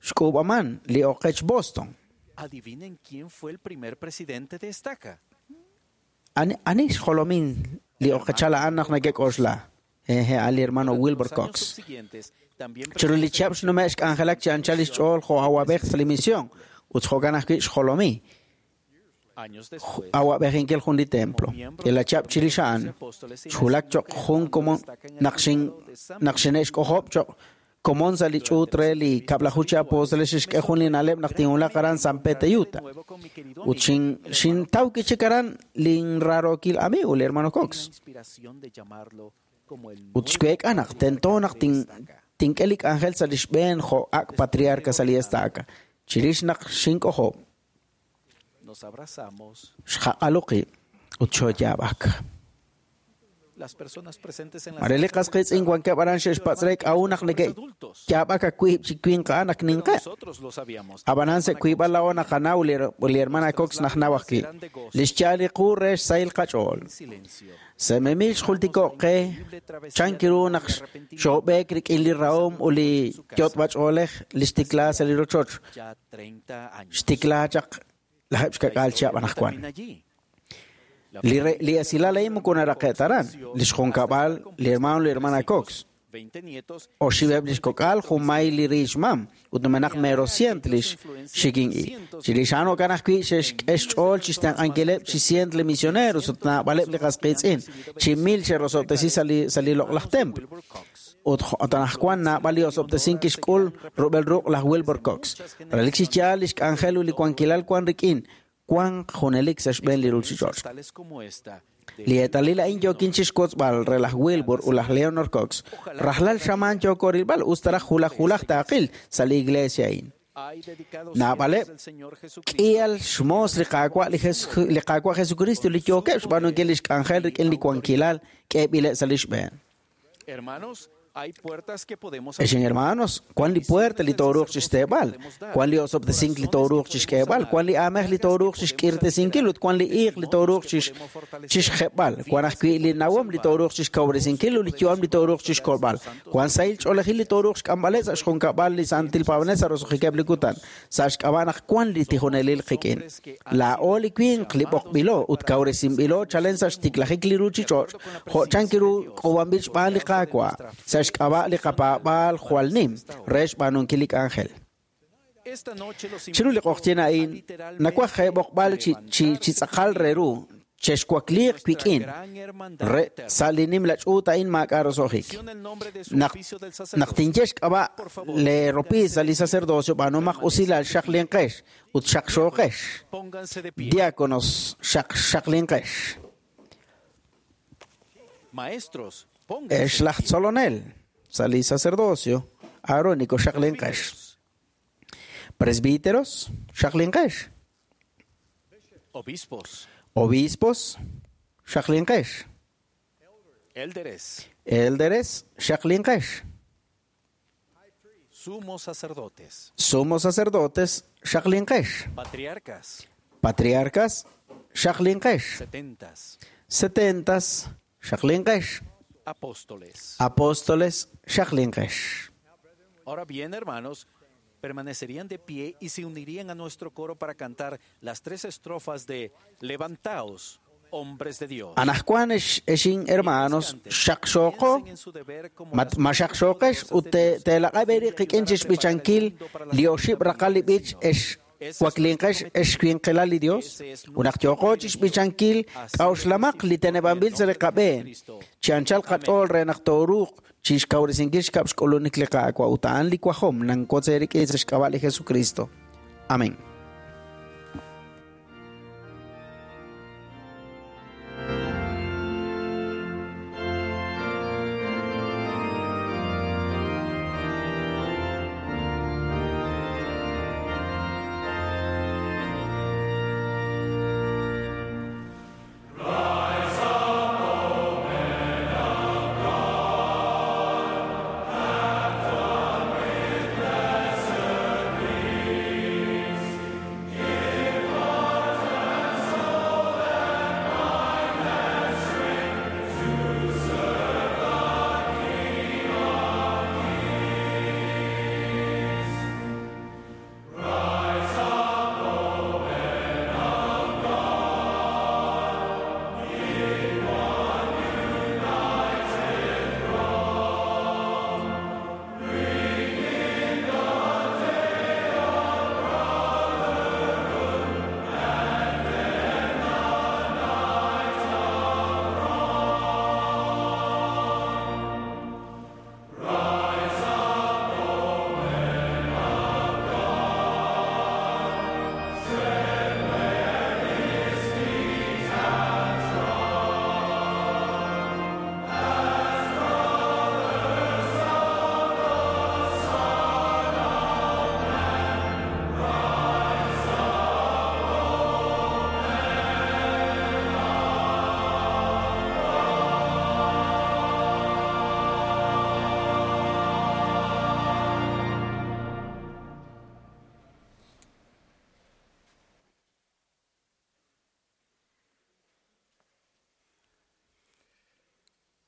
xk'uub'aman li oqech Boston. Ani xjolomin li oqechal a'an naq neke'k'oxla? Jeje, al hermano Wilbur Cox. Chiru li chihab' xnume' xk'anjelak chi anchal lix ch'ool jo' awab'ej sa' li misión ut jo'kan ajwi' xjolomi awab'ejinkil jun li templo. K'iila chihab' chirix a'an xwulak cho'q jun komon naq xine'xk'ojob' cho'q komon sa' li ch'uut re li kab'laju chi apóstoles xixk'e jun li na'leb' naq tinwulaq aran San Pedro Utah. Ut xintaw kichik aran linrarookil amigo li hermano Cox. Ut xweek'a naq tento naq tink'e li k'anjel sa' lix b'een jo' ak' patriarca sa' li estaca. Chirix naq xink'ojob', xqaq'alu qib' ut xooyaab'ak. Mare li qasqitz'in wankeb' aran xe'xpatz' re k'a'u naq neke'yaab'ak awiib' chi winq a'an ak ninqeb'. Ab'anan sa' wiib'al laa'o naqanaw li hermana Cox najnaw ajwi'. Lix yaal li qu re xsahil qach'ool. Sememil xjultiko' qe chan kiru naq xoob'eek rik'in li rahom ut li yot'b'ach'oolej li xtikla sa' li rochoch. Xtikla chaq lajeb' xkak'al chihab' anaqwan. Li esilal a'in moko naraqe' ta aran. Lix junkab'al li hermano li hermana Cox. Oxib'eb' lix kok'al junmay li riix mam ut numenaq mero cient lix xikin-i. Chirix a'an jo'kan ajwi' xe'xk'e xch'ool chixtenq'ankileb' chi cient li misioneros ut naab'aleb' li qasqiitz'in chi mil xe'rosob'tesi sa' li loq'laj templo. Ut anaqwan naab'al li osob'tesink kixk'ul rub'el ruq' laj Wilbur Cox. Relik chi yaal lix k'anjel ut li wankilal wan rik'in wanq junelik sa' xb'een li ruuchich'och'. Tales como esta Li eetalil a'in yookin chixwotzb'al re laj Wilbur ut laj Leonor Cox. Rajlal xamaan yooko rilb'al us ta raj hulaj hulaj taaqil sa' li iglesia a'in. hay dedicados Naab'aleb' siervos del Señor Jesucristo k'ihal xmoos li Qaawa' li li Qaawa' Jesucristo li yookeb' xb'aanunkil lix k'anjel rik'in li wankilal k'eeb'ileb' sa' lix b'een. Hermanos, hay puertas que podemos Exen hermanos, cuán li puerta li tooruuq chixteeb'al, cuán li osob'tesink li tooruuq chixk'eeb'al, cuán li aamej li tooruuq chixk'irtesinkil ut cuán li iiq li tooruuq chixjeb'al, cuán ajwi' li nawom li tooruuq chixkawresinkil ut li yu'am li tooruuq chixkolb'al, cuán sahil ch'oolejil li tooruuq xk'amb'aleb' sa' xjunkab'al li santil paab'anel sa' roso'jikeb' li kutan, sa' xk'ab'a' naq cuán li tijonelil qik'in. Laa'o li winq li b'oqb'ilo ut kawresinb'ilo chalen sa' xtiklajik li ruuchich'och', jo' chan kiru k'uub'anb'il xb'aan li Qaawa', sa' xk'ab'a' li qapaab'aal jwal nim re xb'aanunkil li k'anjel. Esta noche los Chiru li q'oqtyin a'in, nawaj b'oqb'al chi chi tz'aqal re ru, chexwakliiq wik'in, re sa' li nimla ch'uut a'in maak'a' roso'jik. el nombre de su Naq oficio del naq sacerdote. tinye xk'ab'a' le ropiis sa' li sacerdocio b'aanumaq usilal xaqlinqex ut xaqxooqex. Pónganse de pie. Diáconos xaqlinqex. Maestros, pónganse. Ex laj tzolonel sa' li sacerdocio aarónico xaqlinqex. Presbíteros xaqlinqex. Obispos, Obispos xaqlinqex. élderes, Élderes xaqlinqex. sumos sacerdotes, Sumos sacerdotes xaqlinqex. patriarcas, Patriarcas xaqlinqex. setentas, Setentas xaqlinqex. apóstoles. Apóstoles xaqlinqex. Ahora bien, hermanos, permanecerían de pie y se unirían a nuestro coro para cantar las tres estrofas de Levantaos, hombres de Dios. Anaqwan exin hermanos xaqxooqo Piensen en su deber como las ma xaqxooqex ut teelaq'ab' qik'in chixb'ichankil li oxib' raqal li b'ich ex waklinqex ex winqilal li Dios unaq yooqo chixb'ichankil k'a'uxlamaq li teneb'anb'il sa' li qab'een chi anchal qach'ool re naq tooruuq chixkawresinkil xkab' xk'ulunik li Qaawa' ut a'an li wajom nankotz eerik'in sa' xk'ab'a' li Jesucristo. Amén.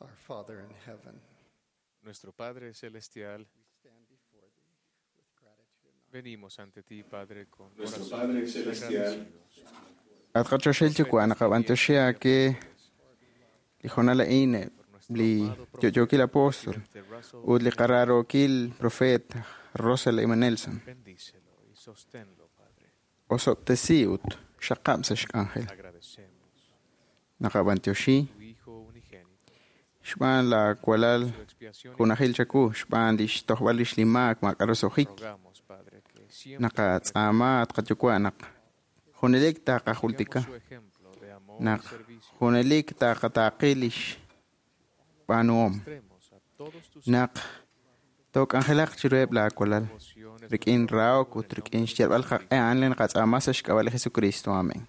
Our Father in heaven, Nuestro Padre Celestial, venimos ante ti, Padre, con Nuestro corazones Padre Celestial, agradecidos. At qachoxel yuwa' naqab'antoxej ke li jonal a'in li yo'yookil apóstol ut li qaraarookil profeet Russell M. Nelson. Bendícelo y sosténlo, Padre. Osob'tesi ut xaqab' sa' xk'anjel. Agradecemos Naqab'antioxi tu Hijo unigénito, Xb'aan laawalal junajil chawu, xb'aan li xtojb'al rix li maak maak'a' roso'jik. Naqatz'aama at qayuwa' naq junelik taqajultika, naq junelik taqataaqi lix b'aanuhom, naq took'anjelaq chiruheb' laawalal rik'in rahok ut rik'in xyalb'al qaq'e a'an li naqatz'aama sa' xk'ab'a' li Jesucristo. Amén.